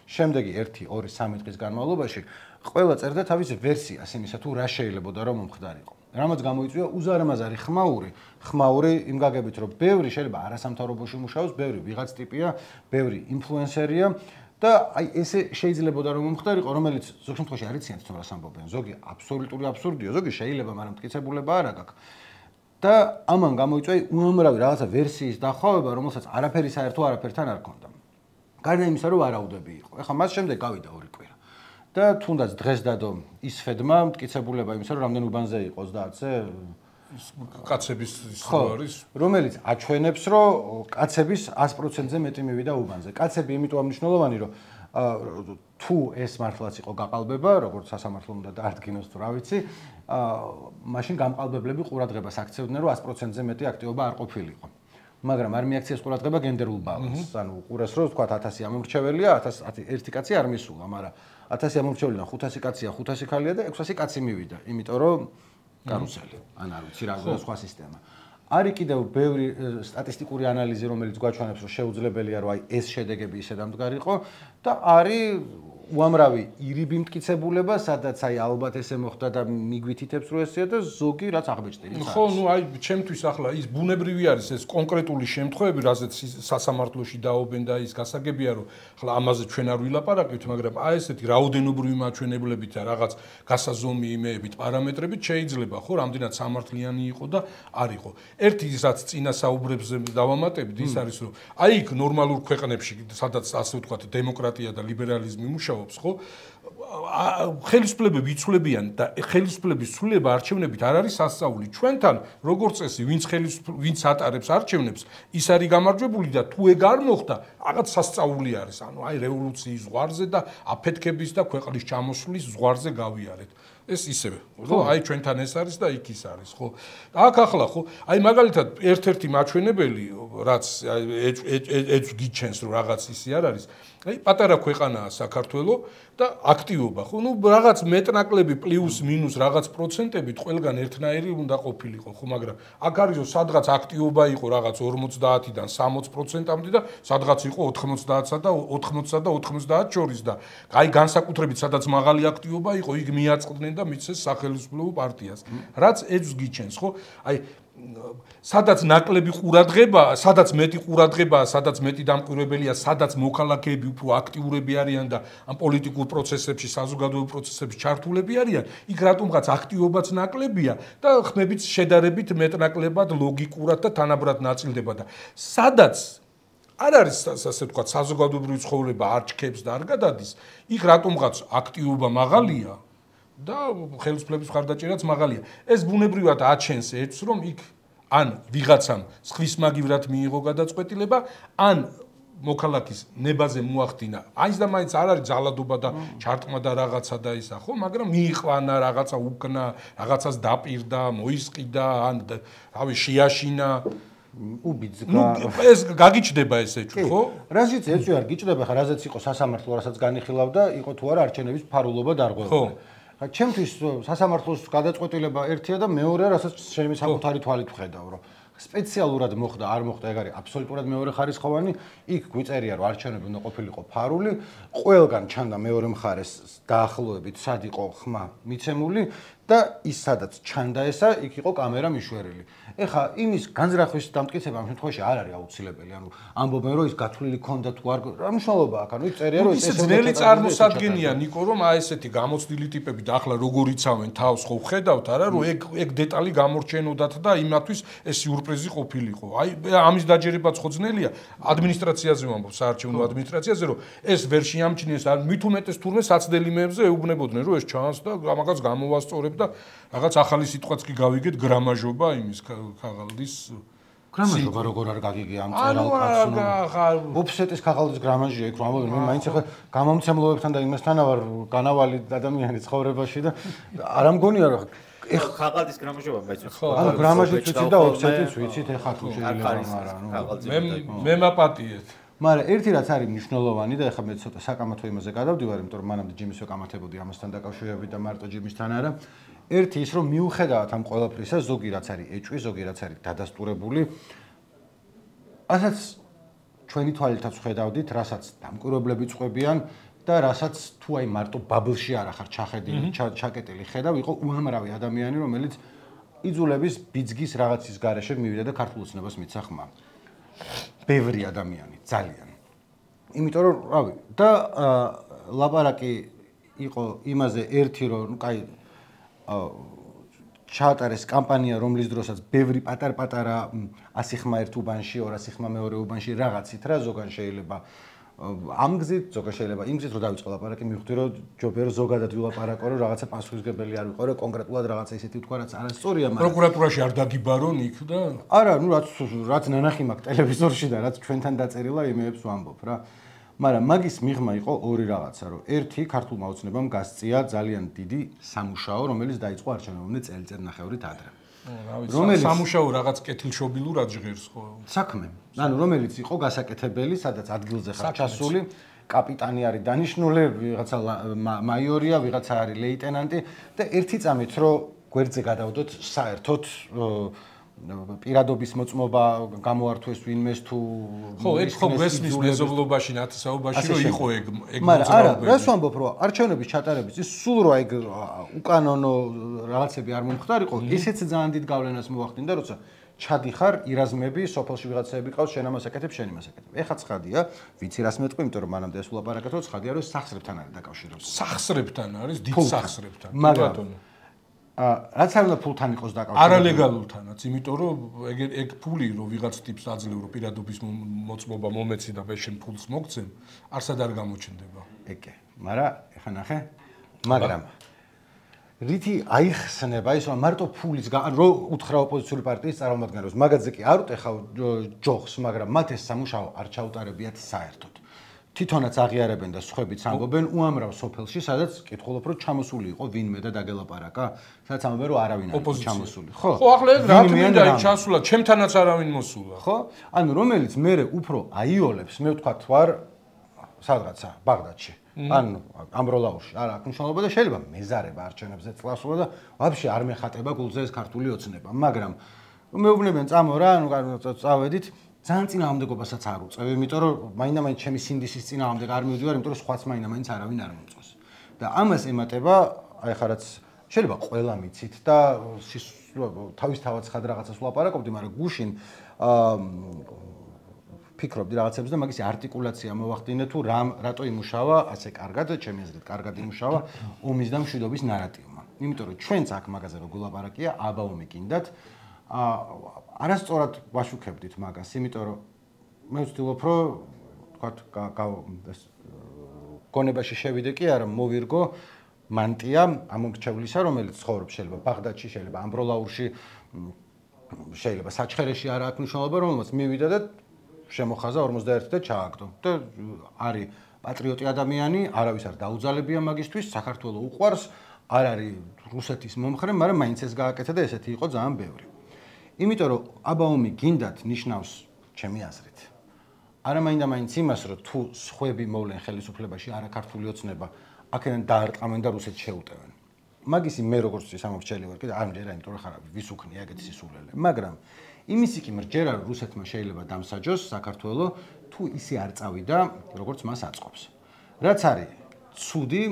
შემდეგი 1-2-3 დღის განმავლობაში ყველა წერდა თავის ვერსიას იმისა თუ რა შეიძლებოდა რომ მომხდარიყო. რამაც გამოიწვია უზარმაზარი ხმაური იმ გაგებით, რომ ბევრი შეიძლება არასამთავრობოში მუშაობს, ბევრი ვიღაც ტიპია, ბევრი ინფლუენსერია და აი ესე შეიძლებოდა რომ მომხდარიყო, რომელიც ზოგ შემთხვევაში არ იციან თვითონ რას ამბობენ. ზოგი აბსოლუტური აბსურდია, ზოგი შეიძლება, მაგრამ მტკიცებულება არ აქვს. და ამან გამოიწვია უამრავი რაღაცა ვერსიის დახვევა, რომელსაც არაფერი საერთო არაფერთან არ ქონდა. გარდა იმისა, რომ ვარაუდები იყო. ეხლა მას შემდეგ გავიდა ორი კვირა. და თუნდაც დღეს დადო ისფედმა მტკიცებულება იმისა, რომ რამდენ უბანზე იყო 30-ზე კაცების ის არის, რომელიც აჩვენებს, რომ კაცების 100%-ზე მეტი მივიდა უბანზე. კაცები იმიტომ მნიშვნელოვანი, რომ თუ ეს მართლაც იყო გაყალბება, როგორც სასამართლო უნდა დაადგინოს თუ რა ვიცი, მაშინ გამყალბებლები ყურადღებას აქცევდნენ, რომ 100%-ზე მეტი აქტივობა არ ყოფილიყო. მაგრამ არ მიაქციეს ყურადღება გენდერულ ბალანსს. ანუ ყურეს რომ თქვა 1000 ამორჩეველია, 1 კაცი არ მისულა, მაგრამ 1000 ამორჩეველიდან 500 კაცია, 500 ქალია და 600 კაცი მივიდა, იმიტომ რომ კარუსელი, ან არ ვიცი რა სხვა სისტემა. არის კიდევ ბევრი სტატისტიკური ანალიზი, რომელიც გვაჩვენებს, რომ შეუძლებელია, რომ აი ეს შედეგები ისე დამდგარიყო და არის უამრავი ირიბი მტკიცებულება, სადაც აი ალბათ ესე მოხდა და მიგვითითებს რომ ესეა და ზოგი რაც აღბეჭდილი. ხო, ნუ აი ჩემთვის ახლა ის ბუნებრივი არის ეს კონკრეტული შემთხვევები, რაზეც სასამართლოში დაობენ და ის გასაგებია რომ ახლა ამაზე ჩვენ არ ვილაპარაკებთ, მაგრამ აი ესეთი რაოდენობრივი მაჩვენებლებით და რაღაც გასაზომი იმეებით, პარამეტრებით შეიძლება ხო რამდენად სამართლიანი იყო და არ იყო. ერთი რაც წინა საუბრებზე დავამატებდი, ის არის რომ აი იქ ნორმალურ ქვეყნებში, სადაც ასე ვთქვათ, დემოკრატია და ლიბერალიზმი მუშაობს, ხო? ხელისუფლებები იცვლებიან და ხელისუფლების ცვლილება არჩევნებით არ არის სასწაული. ჩვენთან როგორც წესი, ვინც ატარებს არჩევნებს, ის არის გამარჯვებული და თუ ეგ არ მოხდა, რაღაც სასწაული არის. ანუ აი რევოლუციის ზღვარზე და აფეთქების და ქვეყნის ჩამოსვლის ზღვარზე გავიარეთ. ეს ისევე, ხო? აი ჩვენთან ეს არის და იქ ის არის, ხო? აქ ახლა ხო, აი მაგალითად ერთ-ერთი მაჩვენებელი, რაც ეც გიჩენს რომ რაღაც ისი არ არის. აი პატარა ქვეყანაა საქართველო და აქტივობა, ხო? ნუ რაღაც მეტნაკლები პლუს მინუს რაღაც პროცენტებით ყველგან ერთნაირი უნდა ყოფილიყო, ხო, მაგრამ აქ არის რომ სადღაც აქტივობა იყო რაღაც 50-დან 60%-მდე და სადღაც იყო 90-სა და 80-სა და 90 შორის და აი განსაკუთრებით სადაც მაღალი აქტივობა იყო, იქ მიაწყდნენ და მიცეს სახელმწიფო პარტიას. რაც ეძს გიჩენს, ხო? აი სადაც ნაკლები ყურადღება, სადაც მეტი ყურადღება, სადაც მეტი დამკვირვებელია, სადაც მოქალაქეები უფრო აქტიურები არიან და ამ პოლიტიკურ პროცესებში, საზოგადოებრივ პროცესებში ჩართულები არიან, იქ რატომღაც აქტივობაც ნაკლებია და ხმებით შედარებით მეტნაკლებად ლოგიკურად და თანაბრად ნაწილდება და სადაც არ არის ასე ვთქვათ, საზოგადოებრივი ცხოვრება არ ჩქებს და არ გადადის, იქ რატომღაც აქტივობა მაღალია და ხელისუფლების მხარდაჭერაც მაღალია. ეს ბუნებრივად აჩენს ერთს, რომ იქ ან ვიღაცამ სხვის მაგივრად მიიღო გადაწყვეტილება, ან მოქალაქის ნებაზე მოახდინა. აიც და მაინც არ არის ძალადობა და ჩარტყმა და რაღაცა და ისა, ხო, მაგრამ მიიყვანა რაღაცა უკნა, რაღაცას დაპირდა, მოისყიდა, ან რავი, შეაშინა. ეს გაგიჩნდება ეს ეჭვი, ხო? რაზეც ეჭვი არ გიჩნდება, ხა რაზეც იყო სასამართლო, რასაც განიხილავდა, იყო თუ არა არჩევნების ფარულობა დარღვევილი. ხა ჩემთვის სასამართლოს გადაწყვეტილება ერთია და მეორეა, რასაც ჩემი საკუთარი თვალით ვხედავ, რომ სპეციალურად მოხდა, არ მოხდა, ეგ არის აბსოლუტურად მეორე ხარისხოვანი, იქ გვიწერია, რომ არჩევნები უნდა ყოფილიყო ფარული, ყველგან ჩანდა მეორე მხარეს დაახლოებით სად იყო ხმა მიცემული და ის სადაც ჩანდა ესა, იქ იყო კამერა მიშვერილი. ეხა იმის განზრახვის დამტკიცება ამ შემთხვევაში არ არის აუცილებელი, ანუ ამბობენ, რომ ის გათვლილი ქონდა თუ არ, რა მნიშვნელობა აქვს, ანუ იქ წერია, რომ ეს ძნელი წარმოსადგენია, ნიკო, რომ აი ესეთი გამოცდილი ტიპები და ახლა როგორ იცავენ თავს, ხო ხედავთ, არა, რომ ეგ დეტალი გამორჩენოდათ და იმათვის ეს სიურპრიზი ყოფილიყო. აი ამის დაჯერებაც ხო ძნელია, ადმინისტრაციაზე ვამბობ, საარჩევნო ადმინისტრაციაზე, რომ ეს ვერ შეამჩნიეს, ან მით უმეტეს თურმე საცდელი მეებზე ეუბნებოდნენ, რომ ეს ჩანს და მაგას გამოვასწორებ და რაღაც ახალი სიტყვაც კი გავიგეთ გრამაჟობა იმის ქაღალდის გრამაჟობა როგორ არ გაგიგე ამ წერალ კაცს ოფსეტის ქაღალდის გრამაჟია იქ რომ ამბობენ მე მაინც ახლა გამომცემლობებთან და იმასთან ვარ განავალი ადამიანი ცხოვრებაში და არ ამგონია რომ ქაღალდის გრამაჟობა მეც ხო ანუ გრამაჟიც ვიცით და ოფსეტიც ვიცით ეხა თუ შეიძლება მაგრამ მე მაპატიეთ მაგრამ ერთი რაც არის მნიშვნელოვანი და ეხლა მე ცოტა საკამათო იმაზე გადავდივარ იმიტომ რომ მანამდე ჯიმის ვეკამათებოდი ამასთან დაკავშირებით და მარტო ჯიმისთან არა ერთი ის რომ მიუხედავად ამ ყველაფრისა ზოგი რაც არის ეჭვი ზოგი რაც არის დადასტურებული ასაც ჩვენი თვალითაც ხედავდით რასაც დამკვირვებლები წყვებიან და რასაც თუ აი მარტო ბაბლში არ ახარ ჩახედილი ჩაკეტილი ხედავ იყო უამრავი ადამიანი რომელიც იძულების ბიძგის რაღაცის გარეშე მივიდა და ქართულ ოცნებას მიცა ხმა ბევრი ადამიანი ძალიან იმიტომ რომ რავი და ლაპარაკი იყო იმაზე ერთი რომ ნუ კაი ჩაატარეს კამპანია რომლის დროსაც ბევრი პატარ-პატარა 100 ხმა ერთ უბანში 200 ხმა მეორე უბანში რაღაცით რა ზოგან შეიძლება ამ გზით ზოგან შეიძლება იმ გზით რომ დავიწყო ლაპარაკი მივხვდი რომ ჯობია ზოგადად ვილაპარაკო რომ რაღაცა პასუხისგებელი არ ვიყო რომ კონკრეტულად რაღაცა ისეთი თქვა რაც არასწორია მაგრამ პროკურატურაში არ დაგიბარონ იქ და არა ნუ რაც ნანახი მაქვს ტელევიზორში და რაც ჩვენთან დაწერილა იმეებს ვამბობ რა მაგრამ მაგის მიღმა იყო ორი რაღაცა რომ ერთი ქართულმა ოცნებამ გასწია ძალიან დიდი სამუშაო რომელიც დაიწყო არჩევნებამდე წელიწადნახევრით ადრე რომელიც სამუშაო რაღაც კეთილშობილურად ჟღერს ხო საქმე ანუ რომელიც იყო გასაკეთებელი სადაც ადგილზე ხარ ჩასული კაპიტანი არის დანიშნული ვიღაცა მაიორია ვიღაცა არის ლეიტენანტი და ერთი წამით რომ გვერდზე გადავდოთ საერთოდ პირადობის მოწმობა გამოართვეს ვინმეს თუ ხო, ეს ხო გვესმის მეზობლობაში, ნათესაობაში რომ იყო ეგ მაგრამ არა, რას ვამბობ, რომ არჩევნების ჩატარების ის სულ რა ეგ უკანონო რაღაცები არ მომხდარიყო, ისეც ძალიან დიდ გავლენას მოახდინდა, როცა ჩადიხარ ირაზმები, სოფელში ვიღაცები ყავს, შენ ამას აკეთებ, შენ იმას აკეთებ. ეხა ცხადია, ვიცი რას მეტყვი, იმიტომ რომ მანამდე ეს ვლაპარაკეთ, რომ ცხადია, რომ სახსრებთან არის დაკავშირებული. სახსრებთან არის, დიდ სახსრებთან. მაგრამ რაც არ უნდა ფულთან იყოს დაკავშირებული. არალეგალურთანაც, იმიტომ რომ ეგ ფული რომ ვიღაც ტიპს აძლევ რომ პირადობის მოწმობა მომეცი და მე შენ ფულს მოგცემ, არსად არ გამოჩნდება. ეგე, მაგრამ ეხა ნახე, მაგრამ რითი აიხსნება ის რომ მარტო ფულის რო უთხრა ოპოზიციური პარტიის წარმომადგენლებს, მაგაზე კი არ უტეხავ ჯოხს, მაგრამ მათ ეს სამუშაო არ ჩაუტარებიათ საერთოდ. თვითონაც აღიარებენ და სხვებიც ამბობენ უამრავ სოფელში, სადაც კითხულობ რომ ჩამოსული იყო ვინმე და დაგელაპარაკა, სადაც ამბობენ რომ არავინ არ იყო ჩამოსული. ხო, ახლა ეგ რა თქმა უნდა ჩასულა, ჩემთანაც არავინ მოსულა. ხო? ანუ რომელიც მე უფრო აიოლებს, მე ვთქვათ ვარ სადღაცა ბაღდადში. ან ამბროლაურში არა აქვს მნიშვნელობა და შეიძლება მეზარება არჩევნებზე წლასულა და ვაფშე არ მეხატება გულზე ეს ქართული ოცნება, მაგრამ მეუბნებიან წამო რა, ანუ წავედით ძალიან წინააღმდეგობასაც არ უწევ, იმიტომ რომ მაინდა-მაინც ჩემი სინდისის წინააღმდეგ არ მივდივარ, იმიტომ რომ სხვაც მაინდა-მაინც არავინ არ მომწონს. და ამას ემატება, აი ხა რაც შეიძლება ყველა მიცით და თავისთავად ხად რაღაცას ვლაპარაკობდი, მაგრამ გუშინ ფიქრობდი რაღაცებს და მაგისი არტიკულაცია მოვახდინე თუ რატო იმუშავა ასე კარგად, ჩემი აზრით კარგად იმუშავა ომის და მშვიდობის ნარატივმა. იმიტომ რომ ჩვენც აქ მაგაზე რო გულაპარაკია, აბა ომი გინდათ, არასწორად ვაშუქებდით მაგას, იმიტომ რომ მე ვცდილობ რომ თქვათ გონებაში შევიდე კი არა, მოვირგო მანტია ამომრჩევლისა, რომელიც ცხოვრობს შეიძლება ბაღდადში, შეიძლება ამბროლაურში, შეიძლება საჩხერეში არა აქვს მნიშვნელობა, რომელსაც მივიდა და შემოხაზა 51 და ჩააგდო. და არის პატრიოტი ადამიანი, არავის არ დაუძალებია მაგისთვის, საქართველოს უყვარს, არ არის რუსეთის მომხრე, მაგრამ მაინც ეს გააკეთა და ესეთი იყო ძალიან ბევრი. იმიტომ რომ აბა ომი გინდათ ნიშნავს ჩემი აზრით. არა მაინდა-მაინც იმას, რომ თუ სხვები მოვლენ ხელისუფლებაში, არა ქართული ოცნება, აქედან დაარტყამენ და რუსეთს შეუტევენ. მაგისი მე როგორც სამომრჩეველი ვარ, კიდე არ მჯერა, იმიტომ რომ ხარ ვისუქნი ეგეთი სისულელე. მაგრამ იმისი კი მრჯერა რომ რუსეთმა შეიძლება დამსაჯოს საქართველოს თუ ისე არ წავიდა როგორც მას აწყობს. რაც არის ცუდი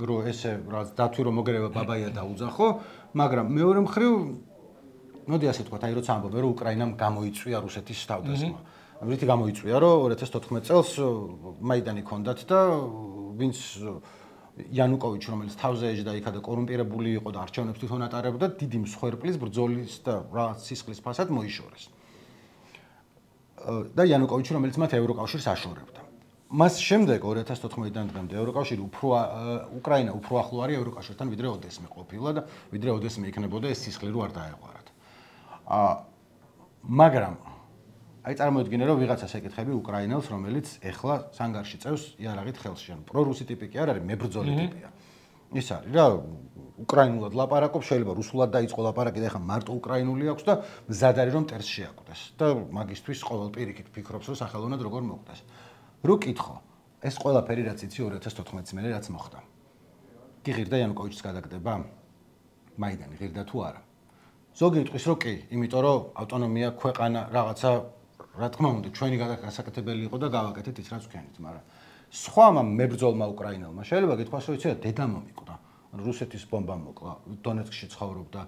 რომ ესე რაღაც დათვი რომ მოგერება ბაბაია დაუძახო, მაგრამ მეორე მხრივ მოდი ასე თქვა, აი როცა ამბობენ რომ უკრაინამ გამოიწვია რუსეთის თავდასხმა. რითი გამოიწვია რომ 2014 წელს მაიდანი ქონდათ და ვინც იანუკოვიჩი რომელიც თავზე ეჯდა იქა და კორუმპირებული იყო და არჩევნებს თვითონ ატარებდა, დიდი მსხვერპლის ბრძოლის და რაღაც სისხლის ფასად მოიშორეს. და იანუკოვიჩი რომელიც მათ ევროკავშირს აშორებდა. მას შემდეგ 2014-დან დღემდე ევროკავშირი უკრაინა უფრო ახლო არის ევროკავშირთან ვიდრე ოდესმე ყოფილა და ვიდრე ოდესმე იქნებოდა ეს სისხლი რო არ დაეღვარათ. მაგრამ აი წარმოიდგინე რომ ვიღაცას ეკითხები უკრაინელს რომელიც ეხლა სანგარში წევს იარაღით ხელში ან პრორუსი ტიპი კი არ არის მებრძოლი ტიპია ის არის რა უკრაინულად ლაპარაკობს შეიძლება რუსულად დაიწყო ლაპარაკი და ეხლა მარტო უკრაინული აქვს და მზად არის რომ ტერს შეაკვდეს და მაგისთვის ყოველ პირიქით ფიქრობს რომ სახელოვნად როგორ მოკვდეს რო კითხო ეს ყველაფერი რაც იცი 2014 წელი რაც მოხდა კი ღირდა იანუკოვიჩის გადაგდება მაიდანი ღირდა თუ არა ზოგი იტყვის რომ კი იმიტომ რომ ავტონომია ქვეყანა რაღაცა რა თქმა უნდა ჩვენი გასაკეთებელი იყო და გავაკეთეთ ის რაც ვქენით, მაგრამ სხვამა მებრძოლმა უკრაინელმა შეიძლება გითქვას რომ იცი დედა მომიკვდა. რუსეთის ბომბა მოკლა, დონეცკში ცხოვრობდა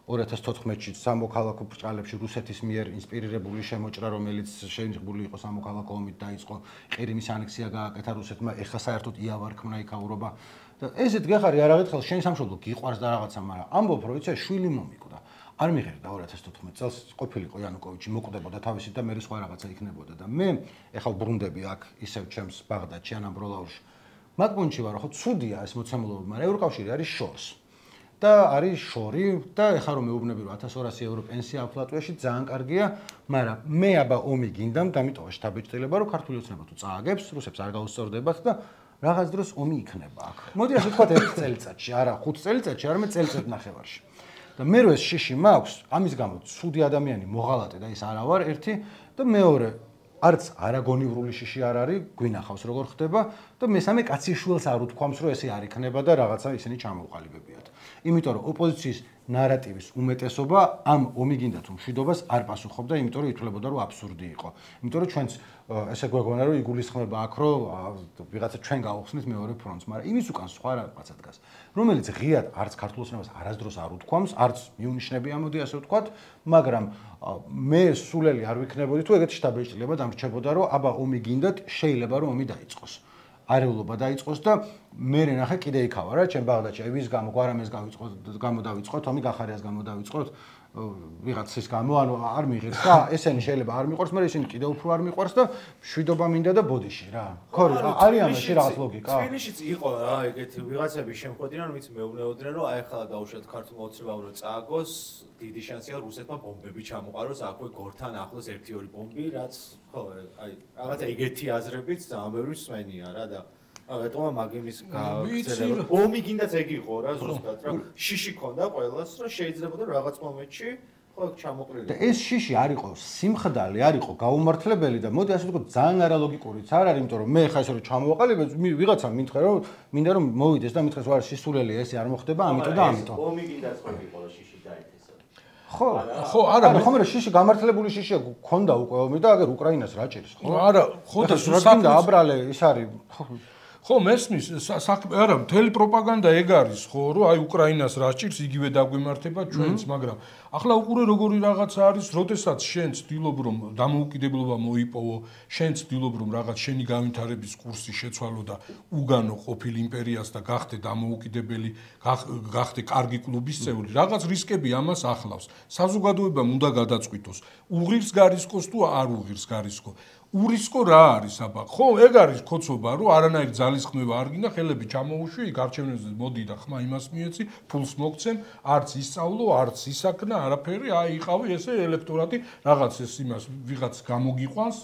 2014-ში სამოქალაქო ბრჭყალებში რუსეთის მიერ ინსპირირებული შემოჭრა, რომელიც შეინღებული იყო სამოქალაქო ომით დაიწყო, ყირიმის ანექსია გააკეთა რუსეთმა, ეხლა საერთოდ იავარქმნა იქაურობა. და ესეთ გეხარი არაღეთ ხელს შენ სამშობლო გიყვარს და რაღაცა, მაგრამ ამბობ რომ იცი შვილი მომიკვდა. არ მიღერდა 2014 წელს ყოფილიყო იანუკოვიჩი მოკვდებოდა თავისით და მე სხვა რაღაცა იქნებოდა და მე ეხლა ბრუნდები აქ ისევ ჩემს ბაღდადში ან ამბროლაურში მაგ პუნქტში ვარ ხო ცუდია ეს მოცემულობა მაგრამ ევროკავშირი არის შორს და არის შორი და ეხლა რომ მეუბნები რომ 1200 ევრო პენსია აქვს ლატვიაში ძალიან კარგია მაგრამ მე აბა ომი გინდამ დამიტოვა შთაბეჭდილება რომ ქართული ოცნება თუ წააგებს რუსებს არ გაუსწორდებათ და რაღაც დროს ომი იქნება აქ მოდი ასე ვთქვათ 1 წელიწადში არა 5 წელიწადში არამედ წელიწად ნახევარში და მე რო ეს შიში მაქვს, ამის გამო ცუდი ადამიანი მოღალატე და ის არა ვარ ერთი და მეორე არც არაგონივრული შიში არ არის, გვინახავს როგორ ხდება და მესამე კაცი შვილს არ უთქვამს რომ ესე არ იქნება და რაღაცა ისინი ჩამოუყალიბებიათ. იმიტომ რომ ოპოზიციის ნარატივის უმეტესობა ამ ომი გინდა თუ მშვიდობას არ პასუხობდა, იმიტომ რომ ითვლებოდა რომ აბსურდი იყო. იმიტომ რომ ჩვენც ესე გვეგონა რომ იგულისხმება აქ რომ ვიღაცა ჩვენ გავხსნით მეორე ფრონტს, მაგრამ იმის უკან სხვა რაღაცა დგას, რომელიც ღიად არც ქართულ ოცნებას არასდროს არ უთქვამს, არც მიუნიშნები ამოდი ასე ვთქვათ, მაგრამ მე სულელი არ ვიქნებოდი თუ ეგეთი შთაბეჭდილება დამრჩებოდა რომ აბა ომი გინდათ, შეიძლება რომ ომი დაიწყოს. არეულობა დაიწყოს და მე ნახე კიდე იქავა რა ჩემ ბაღდადში აი ვის გამო გვარამეს გამოდავიწყოთ ომი გახარიას გამოდავიწყოთ ვიღაცის გამო ანუ არ მიიღებს და ესენი შეიძლება არ მიყვარს მაგრამ ისინი კიდე უფრო არ მიყვარს და მშვიდობა მინდა და ბოდიში რა ხო არის ამაში რაღაც ლოგიკა თბილისშიც იყო რა ეგეთი ვიღაცები შემხვედრიან ვინც მეუბნეოდნენ რომ აი ახლა დაუშვათ ქართულ ოცნებამ რომ წააგოს დიდი შანსია რუსეთმა ბომბები ჩამოყაროს აქვე გორთან ახლოს 1-2 ბომბი რაც ხო აი რაღაცა ეგეთი აზრებიც ძალიან ბევრი მსმენია რა და რატომა მაგიმის გაგრძელება ომი გინდაც ეგ იყო რა ზუსტად რა შიში ქონდა ყველას რა შეიძლება რაღაც მომენტში ხო ჩამოყრილი და ეს შიში არ იყო სიმხდალე არ იყო გაუმართლებელი და მოდი ასე ვთქვათ ძალიან არალოგიკურიც არ არის იმიტომ რომ მე ხა ესე რომ ჩამოვაყალიბე ვიღაცა მითხრა რომ მინდა რომ მოვიდეს და მითხრას ვარ სისულელია ესე არ მოხდება ამიტომ და ამიტომ ომი გინდაც ხო იყო და შიში დაითესა ხო არა ხომ რა შიში გამართლებული შიშია ქონდა უკვე ომი და აგერ უკრაინას რა ჭირს ხო არა ხო და საკითხი აბრალე ის არის ხო მესმის არა მთელი პროპაგანდა ეგ არის ხო რომ აი უკრაინას რა ჭირს იგივე დაგვიმართება ჩვენც მაგრამ ახლა უყურე როგორი რაღაცა არის როდესაც შენ ცდილობ რომ დამოუკიდებლობა მოიპოვო შენ ცდილობ რომ რაღაც შენი განვითარების კურსი შეცვალო და უგანო ყოფილ იმპერიას და გახდე დამოუკიდებელი გახდე კარგი კლუბის წევრი რაღაც რისკები ამას ახლავს საზოგადოებამ უნდა გადაწყვიტოს უღირს გარისკოს თუ არ უღირს გარისკო ურისკო რა არის აბა ხო ეგ არის კოცობა რომ არანაირი ძალისხმევა არ გინდა ხელები ჩამოუშვი იქ არჩევნებზე მოდი და ხმა იმას მიეცი ფულს მოგცემ არც ისწავლო არც ისაქნა არაფერი აი იყავი ესე ელექტორატი რაღაც ეს იმას ვიღაც გამოგიყვანს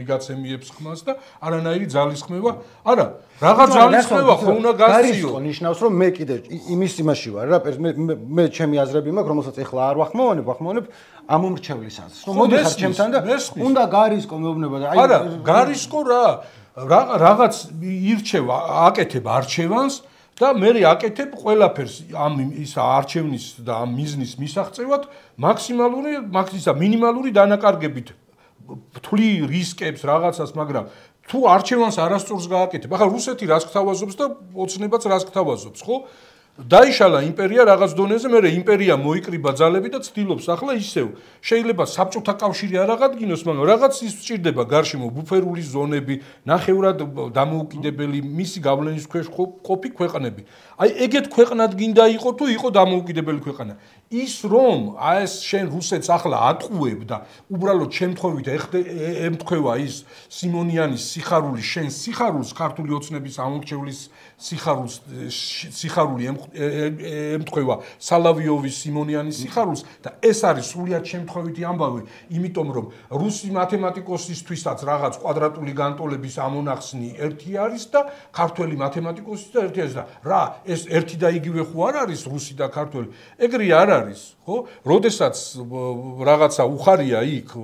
ვიღაცემიებს ხმას და არანაირი ძალისხმევა არა რაღაც ძალისხმევა ხო უნდა გასწიო ნიშნავს რომ მე კიდე იმის იმაში ვარ რა მე ჩემი აზრები მაქვს რომელსაც ეხლა არ ვახმოვანებ ამ მომრჩევლისაც რომ მოდი ხარ ჩემთან და უნდა გარისკო მეუბნება და აი არა გარისკო რაღაც ირჩევ აკეთებ არჩევანს და მე აკეთებ ყველაფერს ამ ის არჩევნის და ამ მიზნის მისაღწევად მინიმალური დანაკარგებით თვლი რისკებს რაღაცას მაგრამ თუ არჩევანს არასწორს გააკეთებ ახლა რუსეთი რას გთავაზობს და ოცნებაც რას გთავაზობს ხო დაიშალა იმპერია რაღაც დონეზე, მე იმპერია მოიკრიბა ძალები და ცდილობს ახლა ისევ. შეიძლება საბჭოთა კავშირი არ აღადგინოს, მაგრამ რაღაც ის სჭირდება გარშემო ბუფერული ზონები, ნახევრად დამოუკიდებელი მისი გავლენის ქვეშ ყოფი ქვეყნები. აი ეგეთ ქვეყნად გინდა იყო თუ იყო დამოუკიდებელი ქვეყანა. ის რომ ეს შენ რუსეთს ახლა ატყუებ და უბრალოდ შემთხვევით ემთხვევა ის სიმონიანის სიხარული შენ სიხარულს ქართული ოცნების ამორჩევლის სიხარული ემთხვევა სალავიოვის სიმონიანის სიხარულს და ეს არის სრულიად შემთხვევითი ამბავი იმიტომ რომ რუსი მათემატიკოსისთვისაც რაღაც კვადრატული განტოლების ამონახსნი ერთი არის და ქართველი მათემატიკოსის და ერთი არის და რა ეს ერთი და იგივე ხო არ არის რუსი და ქართველი ეგრე არ არის ხო როდესაც რაღაცა უხარია იქ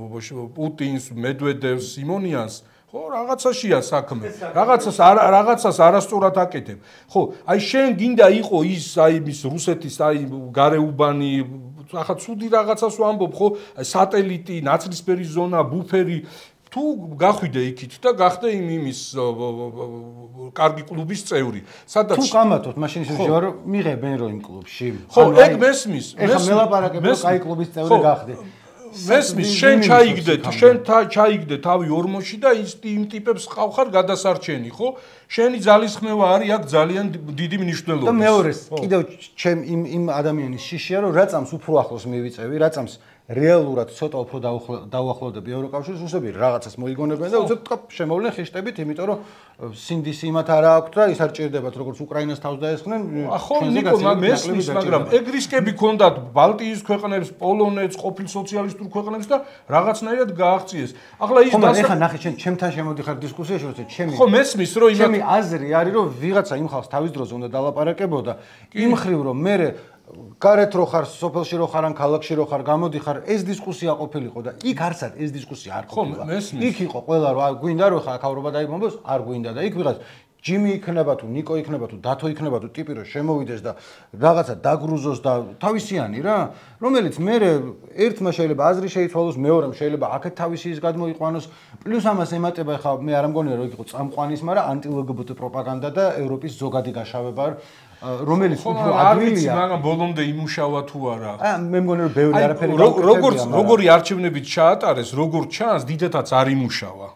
პუტინს მედვედევს სიმონიანს ხო რაღაცაშია საქმე რაღაცას არასწორად აკეთებ ხო აი შენ გინდა იყო ის აი ის რუსეთის აი გარეუბანი ახლა ცუდი რაღაცას ვამბობ ხო სატელიტი ნაცრისფერი ზონა ბუფერი თუ გახვიდე იქით და გახდე იმის კარგი კლუბის წევრი სადაც თუ გამათოთ მაშინ ისე რომ მიღებენ რომ იმ კლუბში ხო ეგ მესმის ეხლა მელაპარაკებ რომ კაი კლუბის წევრი გახდე მესმის შენ ჩაიგდე თავი ორმოში და იმ ტიპებს ყავხარ გადასარჩენი ხო შენი ძალისხმევა არის აქ ძალიან დიდი მნიშვნელობა და მეორეს კიდევ ჩემ იმ ადამიანის შიშია რომ რაწამს უფრო ახლოს მივიწევი რაწამს რეალურად ცოტა უფრო დაუახლოვდები ევროკავშირს რუსები რაღაცას მოიგონებენ და უცებ შემოვლენ ხიშტებით იმიტომ რომ სინდისი იმათ არ აქვს და ის არ ჭირდებათ როგორც უკრაინას თავს დაესხნენ ხო ნიკო მესმის მაგრამ ეგ რისკები ქონდათ ბალტიის ქვეყნებს პოლონეთს ყოფილ სოციალისტურ ქვეყნებს და რაღაცნაირად გააღწიეს ახლა ის ეხლა ნახე ჩემთან შემოდიხარ დისკუსიაში როცა ხო მესმის რომ ჩემი აზრი არის რომ ვიღაცა იმ ხალხს თავის დროზე უნდა დალაპარაკებოდა იმ ხრივ რომ მე გარეთ რო ხარ სოფელში რო ხარ ან ქალაქში რო ხარ გამოდიხარ ეს დისკუსია ყოფილიყო და იქ არსად ეს დისკუსია არ ყოფილა იქ იყო ყველა რომ გვინდა რომ ხა აქავრობა დაიბომბოს არ გვინდა და იქ ვიღაც ჯიმი იქნება თუ ნიკო იქნება თუ დათო იქნება თუ ტიპი რომ შემოვიდეს და რაღაცა დაგრუზოს და თავისიანი რა, რომელიც მე ერთმა შეიძლება აზრი შეიცვალოს, მეორემ შეიძლება აქეთ თავისი ის გადმოიყვანოს, პლუს ამას ემატება ხა მე არ ამგონია რომ იყო წამყვანის, მაგრამ ანტი-LGBT პროპაგანდა და ევროპის ზოგადი გაშავება რომელიც უფრო ადვილია. მაგრამ ბოლომდე იმუშავა თუ არა. მე მგონი რომ ბევრი არაფერი გაუკეთებია. როგორი არჩევნებით ჩაატარეს, როგორ ჩანს, დიდათაც არ იმუშავა.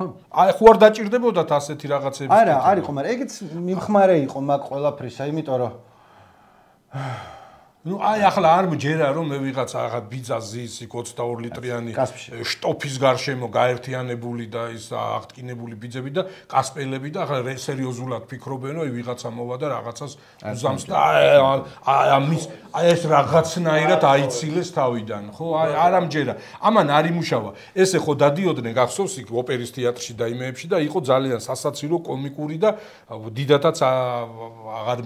აი ხო არ დაჭირდებოდათ ასეთი რაღაცები. არა, არ იყო, მაგრამ ეგეც მიმხმარე იყო მაგ ყველაფრისა, იმიტომ რომ ну აი ახლა არ მჯერა რომ მე ვიღაც აღა ბიძა ზის იქ 22 ლიტრიანი შტოფის გარშემო გაერთიანებული და ის აღტკინებული ბიძები და კასპელები და ახლა სერიოზულად ფიქრობენ რომ ვიღაცა მოვა და რაღაცას უზამს და ამის აი ეს რაღაცნაირად აიცილეს თავიდან ხო აი არ ამჯერა ამან არ იმუშავა ესე ხო დადიოდნენ გახსოვს იქ ოპერის თეატრში და იმეებში და იყო ძალიან სასაცილო კომიკური და დიდათაც აღარ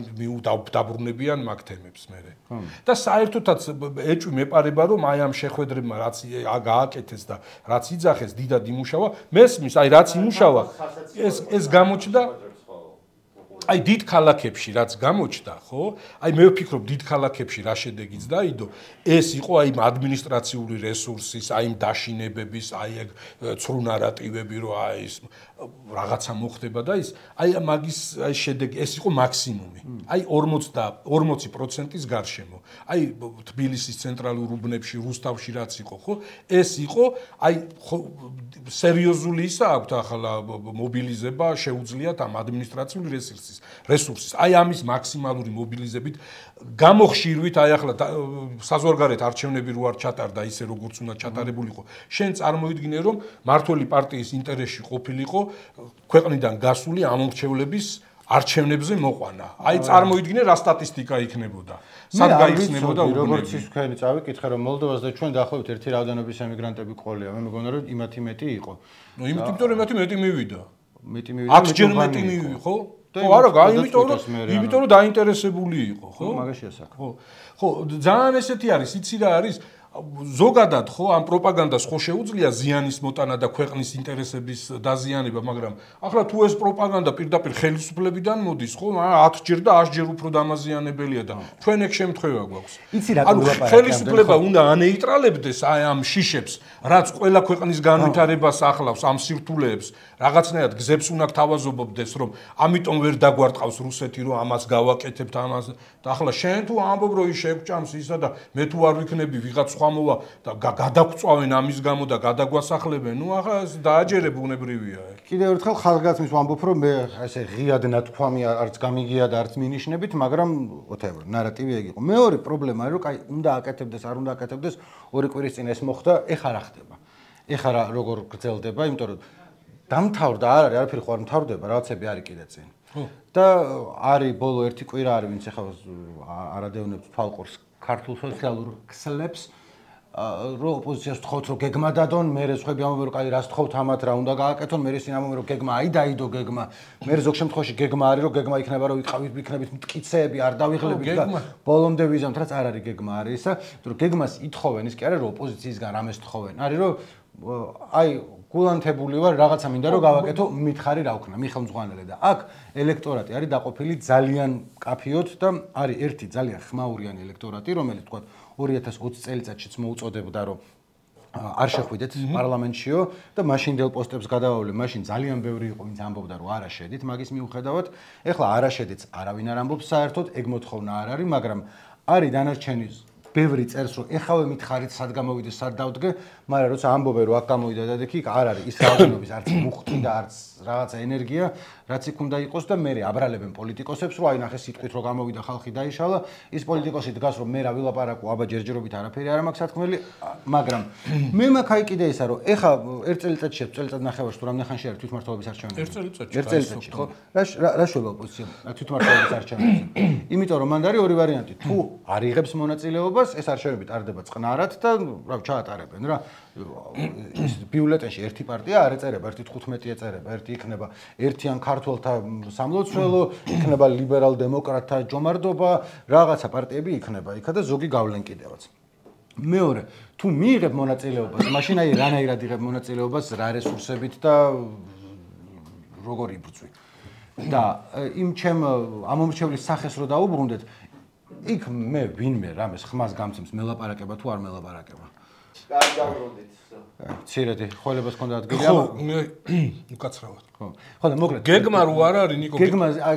დაბრუნებიან მაგ თემებს მე და საერთოდაც ეჭვი მეპარება რომ აი ამ შეხვედრებმა რაც გააკეთეს და რაც იძახეს დიდად იმუშავა მესმის აი რაც იმუშავა ეს გამოჩნდა აი დიდ ქალაქებში რაც გამოჩნდა ხო აი მე ვფიქრობ დიდ ქალაქებში რა შედეგიც დაიდო ეს იყო აი ადმინისტრაციული რესურსის აი დაშინებების აი ეგ ცრუ ნარატივები რომ აი ეს რაღაცა მოხდება და ის აი მაგის აი შედეგი ეს იყო მაქსიმუმი აი 40%-ის გარშემო აი თბილისის ცენტრალურ უბნებში რუსთავში რაც იყო ხო ეს იყო აი სერიოზული ისა აქვს ახლა მობილიზება შეუძლიათ ამ ადმინისტრაციული რესურსის აი ამის მაქსიმალური მობილიზებით გამოხშირვით აი ახლა საზღვარგარეთ არჩევნები რო არ ჩატარდა ისე როგორც უნდა ჩატარებულიყო შენ წარმოიდგინე რომ მართველი პარტიის ინტერესში ყოფილიყო ქვეყნიდან გასული ამორჩევლების არჩევნებზე მოყვანა აი წარმოიდგინე რა სტატისტიკა იქნებოდა სად გაიხსნებოდა როგორც ის თქვენი წავიკითხე რომ მოლდოვას და ჩვენ დაახლოებით ერთი რაოდენობის ემიგრანტები ყოლია მე მგონია რომ იმათი მეტი იყო ნუ იმიტომ რომ მეტი მივიდა მეტი მივიდა 10 ჯერ მეტი მივიდა ხო ხო არა იმიტომ რომ დაინტერესებული იყო ხო მაგაშია საქმე ხო ძალიან ესეთი არის იცი რა არის ზოგადად ხო ამ პროპაგანდას ხო შეუძლია ზიანის მოტანა და ქვეყნის ინტერესების დაზიანება მაგრამ ახლა თუ ეს პროპაგანდა პირდაპირ ხელისუფლებიდან მოდის ხო 10 ჯერ და 100 ჯერ უფრო დამაზიანებელია და ჩვენ ეგ შემთხვევა გვაქვს ანუ ხელისუფლება უნდა ანეიტრალებდეს აი ამ შიშებს რაც ყველა ქვეყნის განვითარებას ახლავს ამ სირთულეებს რაღაცნაირად გზებს უნდა თავაზობობდეს რომ ამიტომ ვერ დაგვარტყავს რუსეთი რომ ამას გავაკეთებთ ამას და ახლა შენ თუ ამბობ რომ ის შეგჭამს ისა და მე თუ არ ვიქნები ვიღაც სხვა მოვა და გადაგწვავენ ამის გამო და გადაგვასახლებენ ნუ ახლა დააჯერებ უნებრივია კიდევ ერთხელ ხალხგაცმის ვამბობ რომ მე ესე ღიად ნათქვამი არც გამიგია და არც მინიშნებით მაგრამ whatever ნარატივი ეგ იყო მეორე პრობლემა არის რომ კაი უნდა აკეთებდეს არ უნდა აკეთებდეს ორი კვირის წინ ეს მოხდა ეხა რა ხდება ეხა რა როგორ გრძელდება იმიტომ რომ დამთავრდა არ არის არაფერი ხო არ მთავრდება რაღაცები არის კიდე წინ და არის ბოლო ერთი კვირა არის ვინც ეხა არადევნებს თვალყურს ქართულ სოციალურ ქსლებს რო ოპოზიციას თხოვთ რომ გეგმა დადონ მე სხვები ამბობენ რომ კაი რას თხოვთ ამათ რა უნდა გააკეთონ მე ისინი ამბობენ რომ გეგმა აი დაიდო გეგმა მე ზოგ შემთხვევაში გეგმა არის რომ გეგმა იქნება რომ ვიქნებით მტკიცეები არ დავიღლებთ და ბოლომდე ვიზამთ რაც არ არის გეგმა არის ისა რომ გეგმას ითხოვენ ის კი არა რომ ოპოზიციისგან რამეს თხოვენ არის რომ აი გულანთებული ვარ რაღაცა მინდა რომ გავაკეთო მითხარი რა ვქნა მიხელმძღვანელე და აქ ელექტორატი არის დაყოფილი ძალიან კაფიოთ და არის ერთი ძალიან ხმაურიანი ელექტორატი რომელიც თქვა 2020 წელიწადშიც მოუწოდებდა რომ არ შეხვიდეთ პარლამენტშიო და მაშინდელ პოსტებს გადავავლე მაშინ ძალიან ბევრი იყო ვინც ამბობდა რომ არა შედით მაგის მიუხედავად ეხლა არა შედით არავინ არ ამბობს საერთოდ ეგ მოთხოვნა არ არის მაგრამ არის დანარჩენი ბევრი წერს რომ ეხავე მითხარით სად გამოვიდე სად დავდგე მაგრამ როცა ამბობენ რომ აქ გამოვიდა და იქ არ არის ის რაოდენობის არც მუხტი და არც რაღაცა ენერგია რაც იქ უნდა იყოს და მე აბრალებენ პოლიტიკოსებს რომ აი ნახე სიტყვით რომ გამოვიდა ხალხი დაიშალა ის პოლიტიკოსი დგას რომ მე რა ვილაპარაკო აბა ჯერჯერობით არაფერი არ მაქვს სათქმელი მაგრამ მე მაქვს აი კიდე ისა რომ ეხა ერთ წელიწადში წელიწად ნახევარში თუ რამდენი ხანში არის თვითმმართველობის არჩევნები ერთ წელიწადში ხო რა შეიძლება ოპოზიცია თვითმმართველობის არჩევნებზე იმიტომ რომ მან არის ორი ვარიანტი თუ არ იღებს მონაწილეობას ეს არჩევნები ტარდება წყნარად და რა ჩაატარებენ რა ის ბიულეტენში ერთი პარტია არ ეწერება, ერთი 15 ეწერება, ერთი იქნება ერთიან ქართველთა სამლოცველო, იქნება ლიბერალ-დემოკრატთა ჯომარდობა, რაღაცა პარტიები იქნება იქა და ზოგი გავლენ კიდევაც. მეორე, თუ მიიღებ მონაწილეობას, მაშინ აი რანაირად იღებ მონაწილეობას, რა რესურსებით და როგორ იბრძვი. და იმ ჩემ ამომრჩევლის სახეს რო დაუბრუნდეთ, იქ მე ვინმე რამეს ხმას გამცემს მელაპარაკება თუ არ მელაპარაკება. კარგი დაუბრუნდით. ცირედი, ხოლებას ქონდა ადგილი ხო, უკაცრავად. ხო. ხო და მოკლედ გეგმა რო არ არის ნიკო.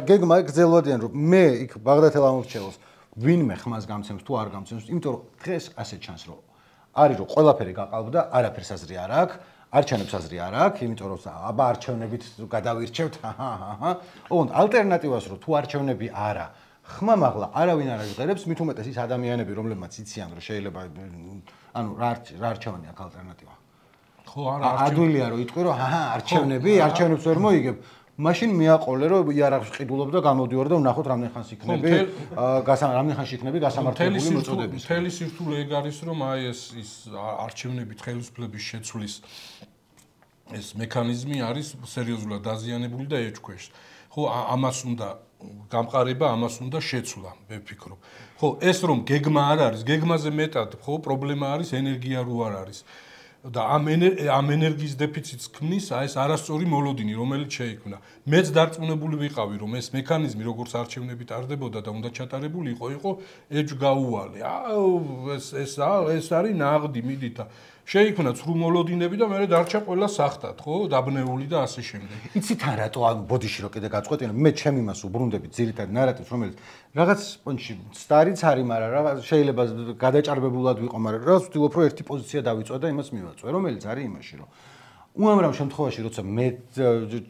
გეგმა გრძელვადიან რომ მე იქ ბაღდათელ ამომრჩეველს ვინმე ხმას გამცემს თუ არ გამცემს, იმიტომ რომ დღეს ასე ჩანს რომ არის რომ ყველაფერი გაყალბდა, არაფერს აზრი არ აქვს, არჩევნებს აზრი არ აქვს, იმიტომ რომ აბა არჩევნებით გადავირჩევთ, ოღონდ ალტერნატივას რომ თუ არჩევნები არა, ხმა მაღლა არავინ არ აღწერებს, მით უმეტეს ის ადამიანები, რომლებმაც იციან რომ შეიძლება ანუ რა არჩევანი აქვს ალტერნატივა. ხო, არა, ადვილია რომ იტყვი რომ არჩევნები, არჩევნებს ვერ მოიგებ. მაშინ მიაყოლე რომ იარაღს ყიდულობ და გამოდიوار და ვნახოთ რამდენ ხანს იქნები რამდენ ხანში იქნები გასამართლებული მოწოდების. მთელი სირთულე ეგ არის რომ აი ეს არჩევნებით ხელისუფლების შეცვლის ეს მექანიზმი არის სერიოზულად დაზიანებული და ეჭქვეშ. ხო, ამას უნდა გამყარება, ამას უნდა შეცვლა, მე ვფიქრობ. ხო, ეს რომ გეგმა არ არის, გეგმაზე მეტად, ხო, პრობლემა არის ენერგია რო არ არის. და ამ ენერგიის დეფიციტს ქმნის აი ეს არასწორი მოლოდინი, რომელიც შეიქმნა. მეც დარწმუნებული ვიყავი, რომ ეს მექანიზმი როგორც არჩევნები ტარდებოდა და უნდა ჩატარებული იყო ეჯგაუვალი. ეს არის ნაღდი, მიდით. შეიქმნა ცრუ მოლოდინები და მე დარჩა ყველა სახთად, ხო, დაბნეული და ასე შემდეგ. იცით ან რატო ანუ ბოდიში რო კიდე გაწყვეტინა, მე ჩემ იმას უბრუნდები ძირითადად ნარატივს, რომელიც რაღაც პონჩი სტარიც არის, მაგრამ რაღაც შეიძლება გადაჭარბებულად ვიყო, მაგრამ რაღაც ვთქვი, რომ ერთი პოზიცია დავიწვა და იმას მივაწვე, რომელიც არის იმაში, რომ უამრავ შემთხვევაში, როცა მე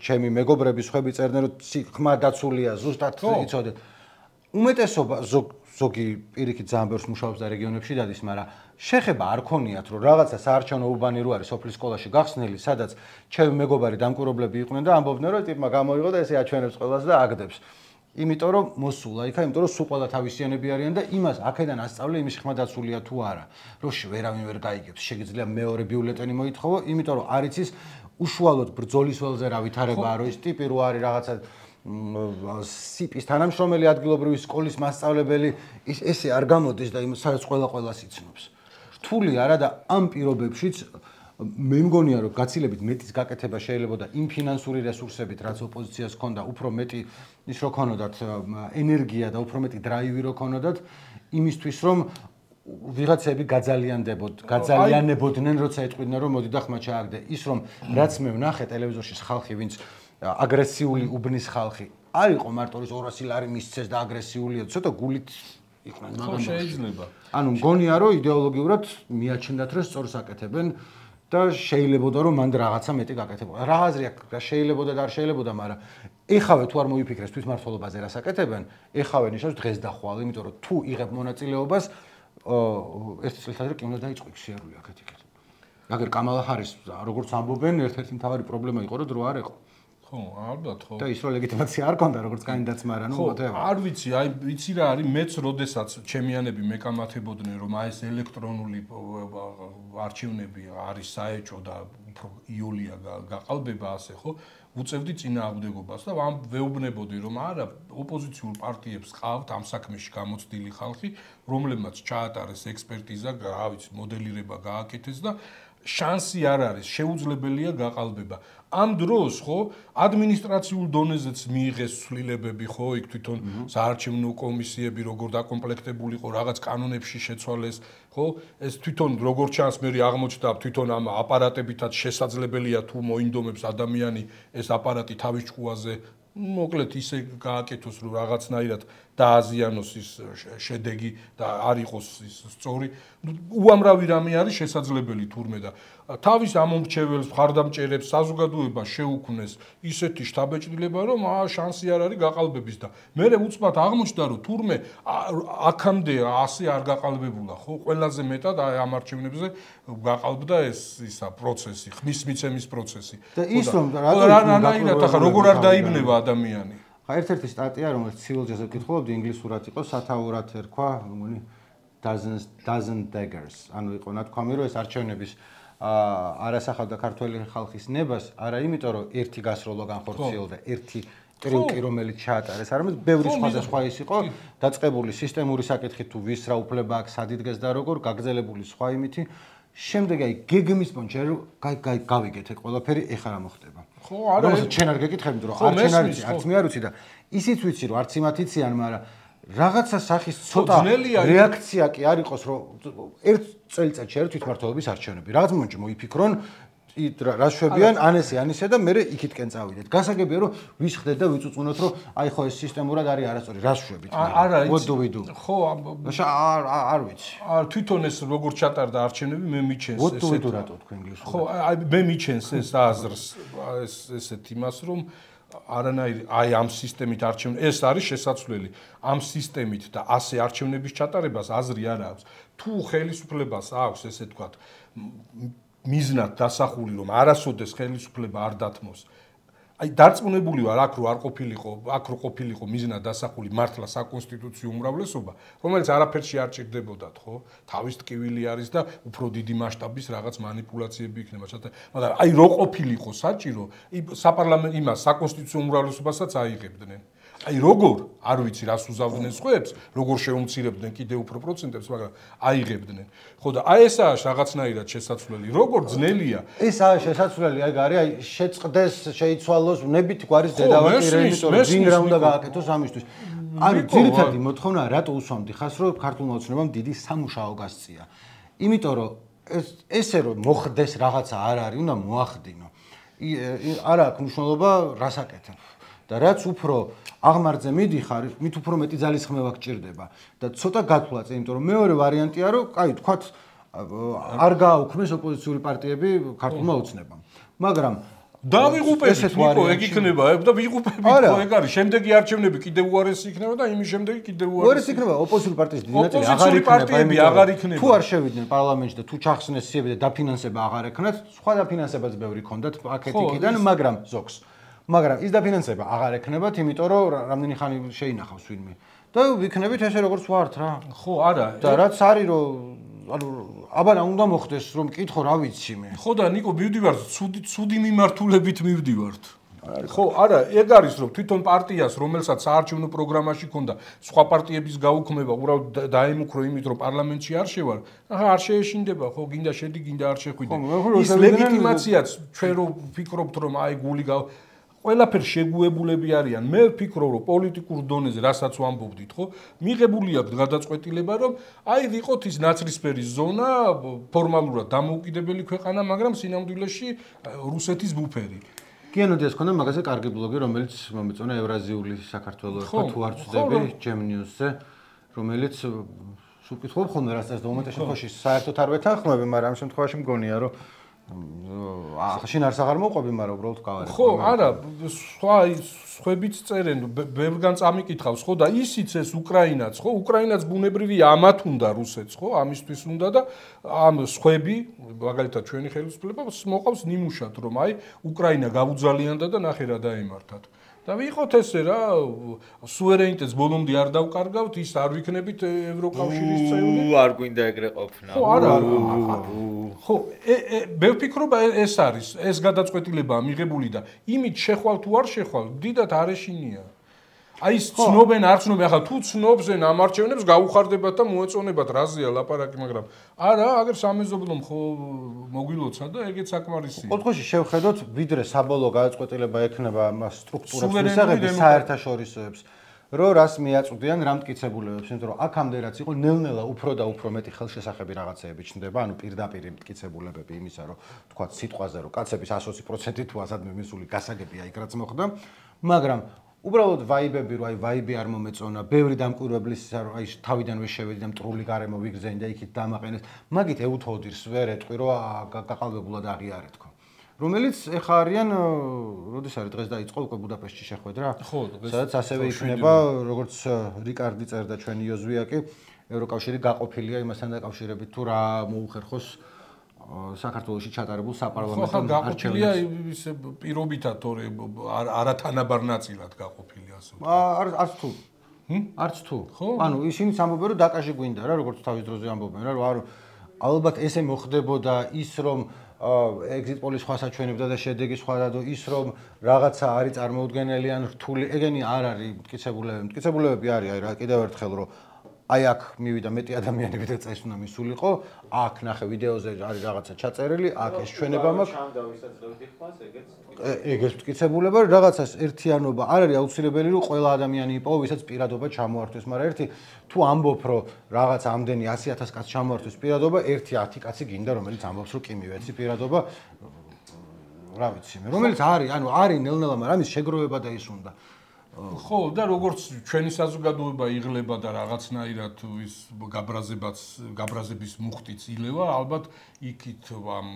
ჩემი მეგობრები სხვები წერდნენ, რომ ხმა დაცულია, ზუსტად იცოდეთ. უმეტესობა ზოგი პირიქით ძალიან ბევრს მუშაობს და რეგიონებში დადის, მაგრამ შეხება არ ქონიათ, რომ რაღაცა საარჩევნო უბანი რო არის სოფლის სკოლაში გახსნილი, სადაც ჩემი მეგობარი დამკვირვებლები იყვნენ და ამბობდნენ, რომ ტიპმა გამოიღო და ესე აჩვენებს ყველას და აგდებს. იმიტომ რომ მოსულა იქა, იმიტომ რომ სულ ყველა თავისიანები არიან და იმას აქედან ასწავლე იმის ხმა დაცულია თუ არა. რომ ვერავინ ვერ გაიგებს, შეგიძლია მეორე ბიულეტენი მოითხოვო, იმიტომ რომ არ იცის უშუალოდ ბრძოლის ველზე რა ვითარებაა, რომ ის ტიპი რო არის რაღაცა სიპის თანამშრომელი ადგილობრივი სკოლის მასწავლებელი, ესე არ გამოდის და სადაც ყველას იცნობს. რთული არა და ამ პირობებშიც მე მგონია რომ გაცილებით მეტის გაკეთება შეიძლება და იმ ფინანსური რესურსებით რაც ოპოზიციას ჰქონდა უფრო მეტი ის რო ქონოდათ ენერგია და უფრო მეტი დრაივი რო ქონოდათ იმისთვის რომ ვიღაცები გაძალიანებოდნენ როცა ეტყვიდნენ რომ მოდი და ხმა ჩააგდე ის რომ რაც მე ვნახე ტელევიზორში ხალხი ვინც აგრესიული უბნის ხალხი არ იყო მარტო ის 200 ლარი მისცეს და აგრესიულია ცოტა გულით იყვნენ მაგრამ შეიძლება ანუ მგონია რომ იდეოლოგიურად მიაჩნდათ რომ სწორს აკეთებენ და შეიძლებოდა რომ მანდ რაღაცა მეტი გაკეთებოდა. რა აზრი აქვს და შეიძლებოდა და არ შეიძლებოდა, მაგრამ ეხავე თუ არ მოიფიქრეს თვითმმართველობაზე რას აკეთებენ, ეხავე ნიშნავს დღეს და ხვალ, იმიტომ რომ თუ იღებ მონაწილეობას ეს წელიწადი კი უნდა დაიწყო ქსიარული აქეთ-იქით. აგერ კამალა ჰარის როგორც ამბობენ, ერთ-ერთი მთავარი პრობლემა იყო რომ დრო არ ეყო. ხო, ალბათ ხო. და ის რო ლეგიტიმაცია არ ქონდა როგორც კანდიდატს, მაგრამ არ ვიცი, აი ვიცი რა არის, მეც როდესაც ჩემიანები მეკამათებოდნენ რომ აი ეს ელექტრონული არჩევნები არის საეჭო და უფრო იულია გაყალბება ასე ხო, უწევდი წინააღმდეგობას და ამ ვეუბნებოდი რომ არა ოპოზიციურ პარტიებს ყავთ ამ საქმეში გამოცდილი ხალხი, რომლებმაც ჩაატარეს ექსპერტიზა, რა ვიცი, მოდელირება გააკეთეს და შანსი არ არის, შეუძლებელია გაყალბება. ამ დროს ხო ადმინისტრაციულ დონეზეც მიიღეს ცვლილებები ხო იქ თვითონ საარჩევნო კომისიები როგორ დაკომპლექტებულიყო რაღაც კანონებში შეცვალეს ხო ეს თვითონ როგორ ჩანს მე აღმოჩნდა თვითონ ამ აპარატებითაც შესაძლებელია თუ მოინდომებს ადამიანი ეს აპარატი თავის ჭკუაზე მოკლედ ისე გააკეთოს რომ რაღაცნაირად დააზიანოს ის შედეგი და არ იყოს ის სწორი უამრავი რამე არის შესაძლებელი თურმე და თავის ამომრჩეველს მხარდამჭერებს საზოგადოება შეუქმნეს ისეთი შთაბეჭდილება რომ შანსი არ არის გაყალბების და მე უცბად აღმოჩნდა რომ თურმე აქამდე ასე არ გაყალბებულა ხო ყველაზე მეტად ამ არჩევნებზე გაყალბდა ეს ისა პროცესი ხმის მიცემის პროცესი და ის რომ რანაირად ახლა როგორ არ დაიბნება ადამიანი ერთ-ერთი სტატია რომელიც civil justice კითხულობდი ინგლისურად იყო სათაურად ერქვა მგონი dozen daggers ანუ იყო ნათქვამი რომ ეს არჩევნების არასახავდა ქართველი ხალხის ნებას არა იმიტომ რომ ერთი გასროლა განხორციელდა ერთი ტრიუკი რომელიც ჩაატარეს არამედ ბევრი სხვა ის იყო დაწყებული სისტემური საკითხი თუ ვის რა უფლება აქვს სად იდგეს და როგორ გაგრძელებული სხვა იმითი შემდეგ აი გეგმის პონჩი რომ გავიგეთ ეგ ყველაფერი ეხლა რა მოხდება. ხო, არა, რომელსაც შენ არ გეკითხები, იმიტომ რომ არც შენ არ იცი, არც მე არ ვიცი და ისიც ვიცი რომ არც იმათ იციან, მაგრამ რაღაცა სახის ცოტა რეაქცია კი არ იყოს, რომ ერთ წელიწადში არის თვითმმართველობის არჩევნები. რაღაც მომენტში მოიფიქრონ რა შვებიან ან ესე და მე იქითკენ წავიდეთ. გასაგებია რომ ვისხდეთ და ვიწუწუნოთ რომ აი ხო ეს სისტემურად არის არასწორი. რა შვებით? არა, what do we do? ხო, არ ვიცი. თვითონ ეს როგორ ჩატარდა არჩევნები მე მიჩენს what do we do რატო თქვენ გისურვებთ? ხო, აი მე მიჩენს ეს აზრს ესეთ იმას რომ არანაირი აი ამ სისტემით არჩევნები ეს არის შესაძლებელი. ამ სისტემით და ასე არჩევნების ჩატარებას აზრი არ აქვს. თუ ხელისუფლებას აქვს ესე თქვა მიზნად დასახული რომ არასოდეს ხელისუფლება არ დათმოს. აი დარწმუნებული ვარ აქ რო არ ყოფილიყო მიზნად დასახული მართლა საკონსტიტუციო უმრავლესობა, რომელიც არაფერში არ ჭირდებოდათ, ხო? თავის ტკივილი არის და უფრო დიდი მასშტაბის რაღაც манипуляციები იქნება, მაგრამ აი რო ყოფილიყო საჭირო, საპარლამენტო იმას საკონსტიტუციო უმრავლესობასაც აიღებდნენ. აი როგორ არ ვიცი რას უზავდნენ სხვებს, როგორ შეუმცირებდნენ კიდევ უფრო პროცენტებს, მაგრამ აიღებდნენ. ხო და აი ესაა რაღაცნაირად შესაძლებელი. როგორ ძნელია? ესაა შესაძლებელი, აი გარი, აი შეწყდეს, შეიცვალოს, ნებით გვარის დედავაკირე, იმიტომ რომ ვინ რა უნდა გააკეთოს ამისთვის. არის ძირითადი მოთხოვნა, რატო უსვამდი ხას, რომ ქართულმა ოცნებამ დიდი სამუშაო გასწია. იმიტომ რომ ესე რომ მოხდეს რაღაცა არ არის, უნდა მოახდინო. არა აქვს მნიშვნელობა რას აკეთებ. და რაც უფრო აღმართზე მიდიხარ, მით უფრო მეტი ძალისხმევა გჭირდება და ცოტა გათვლა წინ, იმიტომ რომ მეორე ვარიანტია, რომ კაი, თქვათ არ გააუქმეს ოპოზიციური პარტიები ქართულმა ოცნებამ. მაგრამ დავიღუპებით ნიკო, ეგ იქნება და ვიღუპებით ხო ეგ არის. შემდეგი არჩევნები კიდევ უარესი იქნება და იმის შემდეგი კიდევ უარესი იქნება ოპოზიციური პარტიის დიდი ნაწილი აღარ იქნება. თუ არ შევიდნენ პარლამენტში და თუ ჩახსნეს სიები და დაფინანსება აღარ ექნათ, სხვა დაფინანსებაც ბევრი ქონდათ პაკეტიდან, მაგრამ ზოგს მაგრამ ის დაფინანსება აღარ ექნებათ, იმიტომ რომ რამდენი ხანი შეინახავს ვინმე. და ვიქნებით ესე როგორც ვართ რა. ხო, არა. და რაც არის რომ ანუ აბანა უნდა მოხდეს რომ მკითხო რა ვიცი მე. ხო და ნიკო მივდივართ ცუდი მიმართულებით მივდივართ. ხო, არა, ეგ არის რომ თვითონ პარტიას, რომელსაც საარჩევნო პროგრამაში ქონდა სხვა პარტიების გაუქმება, უბრალოდ დაემუქრო იმით, რომ პარლამენტში არ შევალ, ახლა არ შეეშინდება, ხო, გინდა შედი, გინდა არ შეხვიდე. ის ლეგიტიმაციაც ჩვენ რო ვფიქრობთ, რომ აი გული ყველაფერ შეგუებულები არიან. მე ვფიქრობ, რომ პოლიტიკურ დონეზე, რასაც ვამბობდით, ხო, მიღებული აქვს გადაწყვეტილება, რომ აი ვიყოთ ის ნაცრისფერი ზონა, ფორმალურად დამოუკიდებელი ქვეყანა, მაგრამ სინამდვილეში რუსეთის ბუფერი. კიანოდიას ქონდა მაგაზე კარგი ბლოგი, რომელიც მომეწონა ევრაზიული საქართველოს ხო თუ არ ვწდები Gem News-ზე, რომელიც სულ ხოლმე რასაც და მომენტში შემთხვევაში საერთოდ არ ვეთანხმები, მაგრამ ამ შემთხვევაში მგონია, რომ შენ არც აღარ მოყვები, მაგრამ უბრალოდ გავარებ. ხო, არა, სხვებიც წერენ, ბევრგან წამიკითხავს, ხო და ისიც ეს უკრაინაც, ხო, უკრაინაც ბუნებრივია, ამათ უნდა რუსეთს, ხო, ამისთვის უნდა და ამ სხვები, მაგალითად ჩვენი ხელისუფლება მოყავს ნიმუშად, რომ აი უკრაინა გაუძალიანდა და ნახე რა დაემართათ. და ვიყოთ ესე რა, სუვერენიტეტს ბოლომდე არ დავკარგავთ, ის არ ვიქნებით ევროკავშირის წევრი. არ გვინდა ეგრე ყოფნა. ხო, არა. ხო, მე ვფიქრობ ეს არის, ეს გადაწყვეტილებაა მიღებული და იმით შეხვალ თუ არ შეხვალ, დიდად არეშინია. აი ის ცნობენ, არ ცნობენ, ახლა თუ ცნობენ ამ არჩევნებს გაუხარდებათ და მოეწონებათ რაზეა ლაპარაკი, მაგრამ არა, აგერ სამეზობლომ ხო მოგვილოცა და ეგეც საკმარისია. ოთხოში შევხედოთ, ვიდრე საბოლოო გადაწყვეტილება ექნება მას სტრუქტურებს მისაღები საერთაშორისოებს, რომ რას მიაწვდიან რა მტკიცებულებებს, იმიტომ რომ აქამდე რაც იყო ნელ-ნელა უფრო და უფრო მეტი ხელშესახები რაღაცეები ჩნდება, ანუ პირდაპირ მტკიცებულებები იმისა, რომ თქვა სიტყვაზე, რომ კაცების 120% თუ ასადმე მისული გასაგებია იქ რაც მოხდა, მაგრამ უბრალოდ ვაიბები, რომ აი ვაიბი არ მომეწონა, ბევრი დამკვირვებლის რომ აი თავიდანვე შევედი და მტრული გარემო ვიგზენი და იქით დამაყენეს, მაგით ეუთოდირს ვერ ეტყვი, რომ გაყალბებულად აღიარეთ თქო. რომელიც ეხა არიან, როდის არის დღეს დაიწყო უკვე ბუდაპეშტში შეხვედრა? ხო, დღეს. სადაც ასევე იქნება, როგორც რიკარდი წერდა ჩვენი იოზვიაკი, ევროკავშირი გაყოფილია იმასთან დაკავშირებით თუ რა მოუხერხოს საქართველოში ჩატარებულ საპარლამენტო არჩევნებს. ის პირობითად თორე არათანაბარ ნაწილად გაყოფილი ასე. არც თუ. არც თუ. ანუ ისინი ამბობენ რომ დაკაში გვინდა რა, როგორც თავის დროზე ამბობენ რა, რომ ალბათ ესე მოხდებოდა ის რომ exit poll-ის სხვა საჩვენებდა და შედეგი სხვა და ის რომ რაღაცა არის წარმოუდგენელი ან რთული, ეგენი არ არის მტკიცებულებები. მტკიცებულებები არის, აი რა კიდევ ერთხელ რომ აი აქ მივიდა მეტი ადამიანი, ვიდრე წეს უნდა მისულიყო, აქ ნახე ვიდეოზე არის რაღაცა ჩაწერილი, აქ ეს ჩვენება მაქვს. ეგეც მტკიცებულება, რაღაცას ერთიანობა არ არის აუცილებელი, რომ ყველა ადამიანი იპოვო, ვისაც პირადობა ჩამოართვეს, მაგრამ ერთი თუ ამბობ, რომ რაღაც ამდენი 100,000 კაცს ჩამოართვეს პირადობა, ერთი 10 კაცი გინდა, რომელიც ამბობს, რომ კი მივეცი პირადობა, რა ვიცი მე, რომელიც არის, ანუ არის ნელ-ნელა, მაგრამ ამის შეგროვება და ის უნდა. ხო, და როგორც ჩვენი საზოგადოება იღლება და რაღაცნაირად ის გაბრაზების მუხტიც ილევა, ალბათ იქით ამ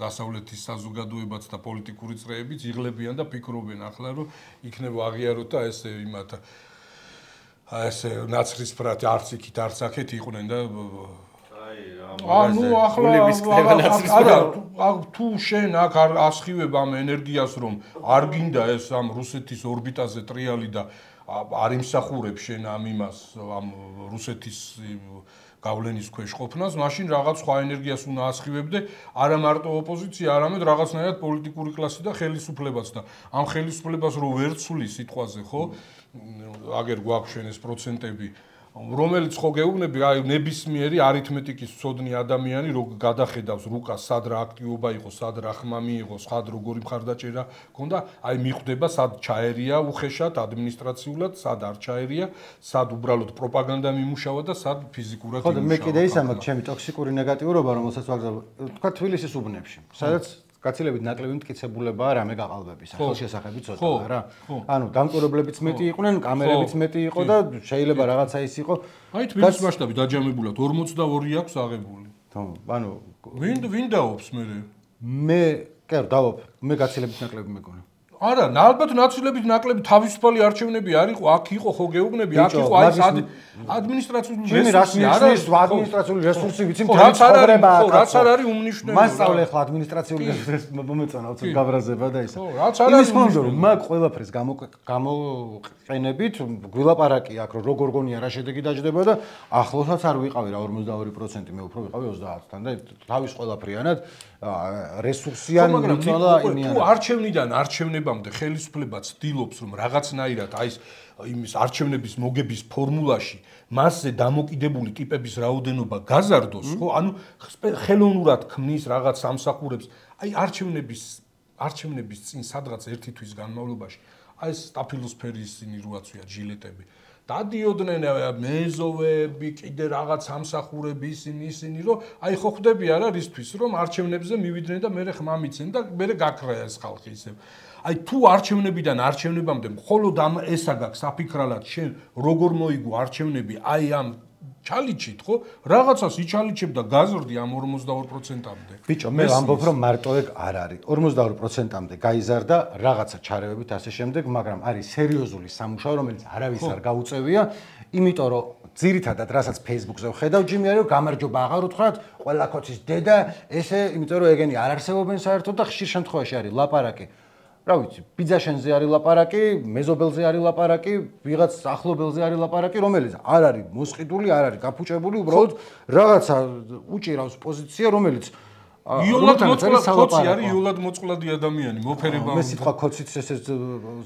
დასავლეთის საზოგადოებაც და პოლიტიკური წრეებიც იღლებიან და ფიქრობენ ახლა, რომ იქნება აღიაროთ და ესე იმათ ესე ნაცრისფრად არც იქით არც აქეთ იყვნენ და ანუ ახლა არა თუ შენ აქ არ ასხივებ ამ ენერგიას რომ არ გინდა ეს ამ რუსეთის ორბიტაზე ტრიალი და არ იმსახურებ შენ ამ იმას ამ რუსეთის გავლენის ქვეშ ყოფნას, მაშინ რაღაც სხვა ენერგიას უნდა ასხივებდე, არა მარტო ოპოზიცია, არამედ რაღაცნაირად პოლიტიკური კლასი და ხელისუფლებაც და ამ ხელისუფლებას რო ვერ ცვლი სიტყვაზე, ხო? აგერ გვაქვს შენ ეს პროცენტები რომელიც ხო გეუბნები, აი ნებისმიერი არითმეტიკის მცოდნი ადამიანი რო გადახედავს რუკას სად რა აქტივობა იყო, სად რა ხმა მიიღო, სად როგორი მხარდაჭერა ქონდა, აი მიხვდება სად ჩაერია უხეშად ადმინისტრაციულად, სად არ ჩაერია, სად უბრალოდ პროპაგანდა მიმუშავა და სად ფიზიკურად იმუშავა. ხო და მე კიდე ის ამაქვს ჩემი ტოქსიკური ნეგატიურობა, რომელსაც ვაგზავნე, თქვა თბილისის უბნებში, სადაც გაცილებით ნაკლები მტკიცებულებაა რამე გაყალბების, ხელშესახები ცოტაა რა. ანუ დამკვირვებლებიც მეტი იყვნენ, კამერებიც მეტი იყო და შეიძლება რაღაცა ის იყო. აი თბილისის მასშტაბი დაჯამებულად 42 აქვს აღებული. ანუ ვინ დაობს მე? მე კი დავობ, მე გაცილებით ნაკლები მეგონა. არა, ალბათ ნაცილებით ნაკლები თავისუფალი არჩევნები არ იყო, აქ იყო ხო გეუბნები, აქ იყო აი ადმინისტრაციული რესურსი, ადმინისტრაციული რესურსი ვიცი მთელი ცხოვრება აქ. რაც არ არის უმნიშვნელო. მასწავლე ახლა ადმინისტრაციული რესურსი მომეწონა, უცებ გაბრაზება და ისა. რაც არ არის უმნიშვნელო, მაგ ყველაფერს გამოყენებით, გვილაპარაკი აქ რომ როგორ გონია რა შედეგი დაждდება და ახლოსაც არ ვიყავი რა 42%, მე უფრო ვიყავი 30-თან და თავის ყველაფრიანად რესურსიან მიწონა იმიან. თუ არჩევნიდან არჩევნებამდე ხელისუფლება ცდილობს რომ რაღაცნაირად აი იმის არჩევნების მოგების ფორმულაში მასზე დამოკიდებული ტიპების რაოდენობა გაზარდოს, ხო? ანუ ხელოვნურად ქმნის რაღაც სამსახურებს. აი არჩევნების წინ სადღაც ერთი თვის განმავლობაში აი ეს სტაფილოსფერის ისინი როაცვია ჯილეტები. დადიოდნენ მეზოვები, კიდე რაღაც სამსახურები ისინი, რომ აი ხო ხვდები არა რისთვის, რომ არჩევნებზე მივიდნენ და მერე ხმა მიცენ და მერე გაქრა ეს ხალხი ისევ. აი თუ არჩევნებიდან არჩევნებამდე მხოლოდ ამ ესა გაქვს საფიქრალად შენ როგორ მოიგო არჩევნები აი ამ ჩალიჩით, ხო? რაღაცას იჩალიჩებ და გაზრდი ამ 42%-ამდე. ბიჭო, მე ვამბობ, რომ მარტო ეგ არ არის. 42%-ამდე გაიზარდა რაღაცა ჩარევებით ასე შემდეგ, მაგრამ არის სერიოზული სამუშაო, რომელიც არავის არ გაუწევია, იმიტომ რომ ძირითადად რასაც Facebook-ზე ვხედავ, ჯიმი არის, რომ გამარჯობა აღარ უთხრათ, ყველა კოცის დედა, ესე, იმიტომ რომ ეგენი არ არსებობენ საერთოდ და ხშირ შემთხვევაში არის ლაპარაკი. რა ვიცი, ბიძაშენზე არის ლაპარაკი, მეზობელზე არის ლაპარაკი, ვიღაც ახლობელზე არის ლაპარაკი, რომელიც არ არის მოსყიდული, არ არის გაფუჭებული, უბრალოდ რაღაცა უჭირავს პოზიცია, რომელიც იოლად მოწყვლადი არის, იოლად მოწყვლადი ადამიანი, მოფერება. მე სიტყვა კოციც ესე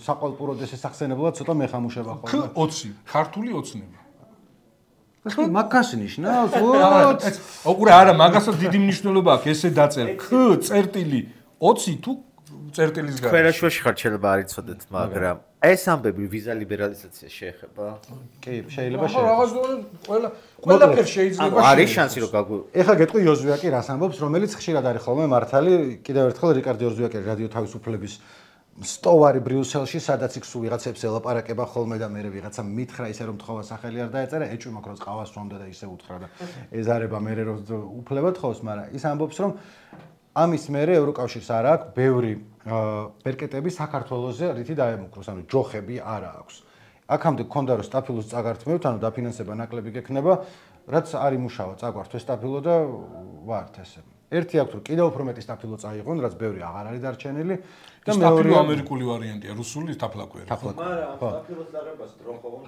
საყვალპუროდ ესე სახსენებლად ცოტა მეხამუშება ხოლმე. K20, ქართული ოცნება. ეს მაგას ნიშნავს? ოღონდ არა, მაგასაც დიდი მნიშვნელობა აქვს, ესე დაწერ. K წერტილი 20 თუ წერტილის გარშემო. ქვერაშვაში ხარ შეიძლება არ იცოდეთ, მაგრამ ეს ამბები ვიზა ლიბერალიზაცია შეეხება? კი, შეიძლება შეეხება. რაღაც ყველაფერს შეიძლება. არის შანსი რომ გაგვი. ეხლა გეტყვი იოზვიაკი რას ამბობს, რომელიც ხშირად არის ხოლმე მართალი, კიდევ ერთხელ რიკარდო იოზვიაკი რადიო თავისუფლების სტოვარი ბრიუსელში, სადაც იქ სულ ვიღაცებს ელაპარაკება ხოლმე და მე ვიღაცა მითხრა ისე რომ თხოვა სახელი არ დაეწერა, ეჭვი მაქვს რომ ყავას სვამდა და ისე უთხრა და ეზარება მე რომ უფლება თხოვს, მაგრამ ის ამბობს რომ ამის მერე ევროკავშირს არ აქვს ბევრი ბერკეტები საქართველოზე რითი დაემუქროს, ანუ ჯოხები არ აქვს. აქამდე გქონდა რომ სტაფილოს წაგართმევთ, ანუ დაფინანსება ნაკლები გექნება, რაც არ იმუშავა, წაგვართ სტაფილო და ვართ ესე. ერთი აქვს რომ კიდევ უფრო მეტი სტაფილო წაიღონ, რაც ბევრი აღარ არის დარჩენილი და მეორე ამერიკული ვარიანტია, რუსული ტაფლაკვერი. მაგრამ სტაფილოს დარებას დრო ხომ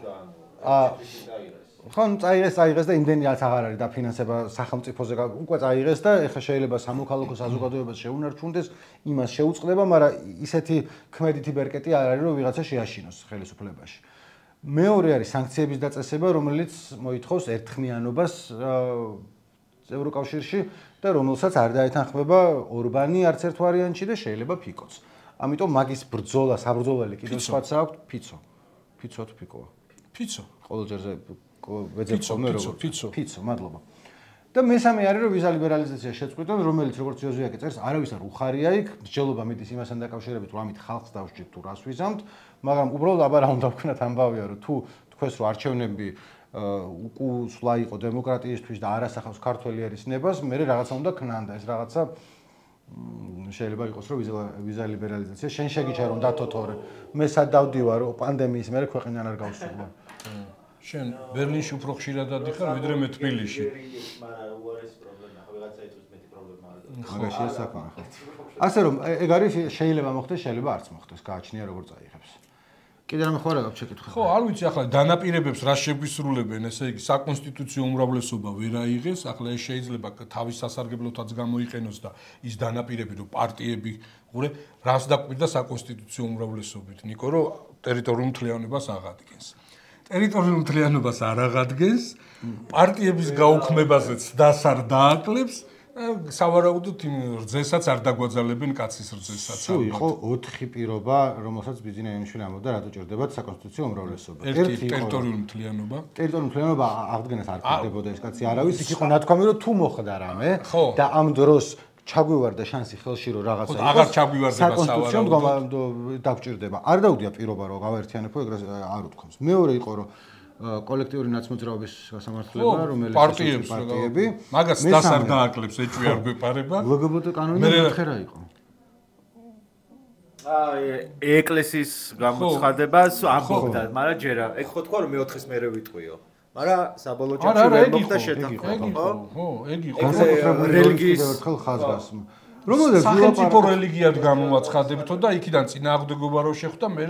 ხო, წაიღეს და იმდენი რაც აღარ არის დაფინანსება სახელმწიფოზე უკვე წაიღეს და ეხლა შეიძლება სამოქალაქო საზოგადოებას შეუნარჩუნდეს, იმას შეუწყდება, მაგრამ ისეთი ქმედითი ბერკეტი არ არის რომ ვიღაცა შეაშინოს ხელისუფლებაში. მეორე არის სანქციების დაწესება, რომელიც მოითხოვს ერთხმიანობას ევროკავშირში და რომელსაც არ დაეთანხმება ორბანი არც ერთ ვარიანტში და შეიძლება ფიკოც. ამიტომ მაგის ბრძოლა, საბრძოლელი კიდევ სხვაც აქვს ფიცო. ფიცო თუ ფიკოა? ფიცო. ყოველ ჯერზე ვეძებ ხოლმე როგორც ფიცო, მადლობა. და მესამე არის რომ ვიზა ლიბერალიზაცია შეწყვიტონ, რომელიც როგორც იოზუაკი წერს, არავის არ უხარია იქ, მსჯელობა მიდის იმასთან დაკავშირებით, რომ ამით ხალხს დავსჯით თუ რას ვიზამთ, მაგრამ უბრალოდ აბა რა უნდა ვქნათ ამბავია, რომ თუ თქვენს რომ არჩევნები უკუსვლა იყო დემოკრატიისთვის და არასახავს ქართველი ერის ნებას, მე რაღაცა უნდა ქნან და ეს რაღაცა შეიძლება იყოს რომ ვიზა ლიბერალიზაცია შენ შეგიჩა რომ დათოთორე მე სად დავდივარ რომ პანდემიის მერე ქვეყნიდან არ გავსულა შენ ბერლინში უფრო ხშირად დადიხარ ვიდრე მე თბილისში მაგრამ უარესი პრობლემა ხო ვიღაცა იწვის მეტი პრობლემა არ არის მაგაშია საკმაო ასე რომ ეგ არის შეიძლება მოხდეს შეიძლება არც მოხდეს გააჩნია როგორ წაიღებს კიდე რამე ხო არა გაქვს შეკითხვა ხო არ ვიცი ახლა დანაპირებებს რა შეგვისრულებენ ესე იგი საკონსტიტუციო უმრავლესობა ვერ აიღეს ახლა ეს შეიძლება თავის სასარგებლოთაც გამოიყენოს და ის დანაპირები რომ პარტიები ყურე რას დაკვირდა საკონსტიტუციო უმრავლესობით ნიკო რომ ტერიტორიულ მთლიანობას აღადგენს ტერიტორიულ მთლიანობას არ აღადგენს პარტიების გაუქმებაზეც დას არ დააკლებს სავარაუდოდ იმ რძესაც არ დაგვაძალებენ კაცის რძესაც სულ იყო 4 პირობა რომელსაც ბიზინა იანიშვილი ამბობდა რატო ჭირდებათ საკონსტიტუციო უმრავლესობა ერთი ტერიტორიული მთლიანობა ტერიტორიული მთლიანობა აღდგენას არ ჭირდებოდა ეს კაცი არავის იქ იყო ნათქვამი რომ თუ მოხდა რამე და ამ დროს ჩაგვივარდა შანსი ხელში რომ რაღაცა იყოს აღარ ჩაგვივარდება საკონსტიტუციო დაგჭირდება არ დაუდია პირობა რომ გავაერთიანებო ეგრე არ უთქვამს მეორე იყო რომ კოლექტიური ნაცმოძრაობის გასამართლება რომელიც პარტიები მაგას დას არ დააკლებს ეჭვი არ გვეპარება ლგბტ კანონი მეთხე რა იყო ეკლესიის გამოცხადებას ამბობდა მაგრამ ჯერა ეგ ხო თქვა რომ მეოთხეს მერე ვიტყვიო მაგრამ საბოლოო ჯამში ვერ მოხდა შეთანხმება ხო ეგ იყო რელიგიის ერთხელ ხაზგას რომელზეც სახელმწიფო რელიგიად გამოაცხადებთო და იქიდან წინააღმდეგობა რო შეხვდა მე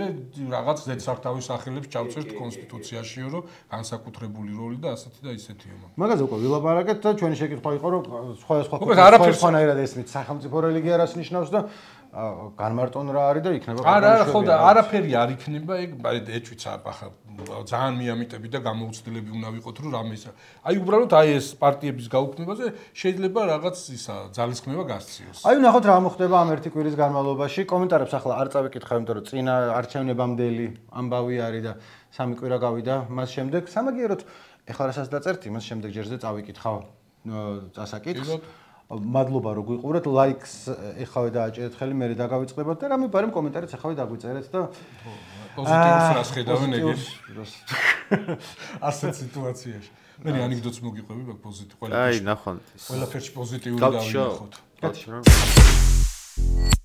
რაღაც ზედსართავის სახელებს ჩავწერთ კონსტიტუციაშიო რომ განსაკუთრებული როლი და ასეთი და ისეთიო მაგაზე უკვე ვილაპარაკეთ და ჩვენი შეკითხვა იყო რომ სხვადასხვანაირად ესმით სახელმწიფო რელიგია რას ნიშნავს და განმარტონ რა არის და იქნება არა ხო და არაფერი არ იქნება ეგ ეჭვიც ახლა ძალიან მიამიტები და გამოუცდელები უნდა ვიყოთ რომ რამე ისა აი უბრალოდ აი ეს პარტიების გაუქმებაზე შეიძლება რაღაც ისა ძალისხმევა გასციოს აი ნახოთ რა მოხდება ამ ერთი კვირის განმავლობაში კომენტარებს ახლა არ წავიკითხავ იმიტომ რომ წინა არჩევნებამდელი ამბავი არის და სამი კვირა გავიდა მას შემდეგ სამაგიეროდ ეხლა რასაც დაწერთ იმას შემდეგ ჯერზე წავიკითხავ წასაკითხს მადლობა რომ გვიყურეთ ლაიქს ეხავე დააჭერეთ ხელი მე დაგავიწყდებათ და რამე ბარემ კომენტარიც ეხავე დაგვიწერეთ და პოზიტივს რას ხედავენ ეგეთ ასეთ სიტუაციაში მე ანეკდოტს მოგიყვები მაგ პოზიტივ აი ნახოთ ყველაფერში პოზიტიური დავინახოთ კაცო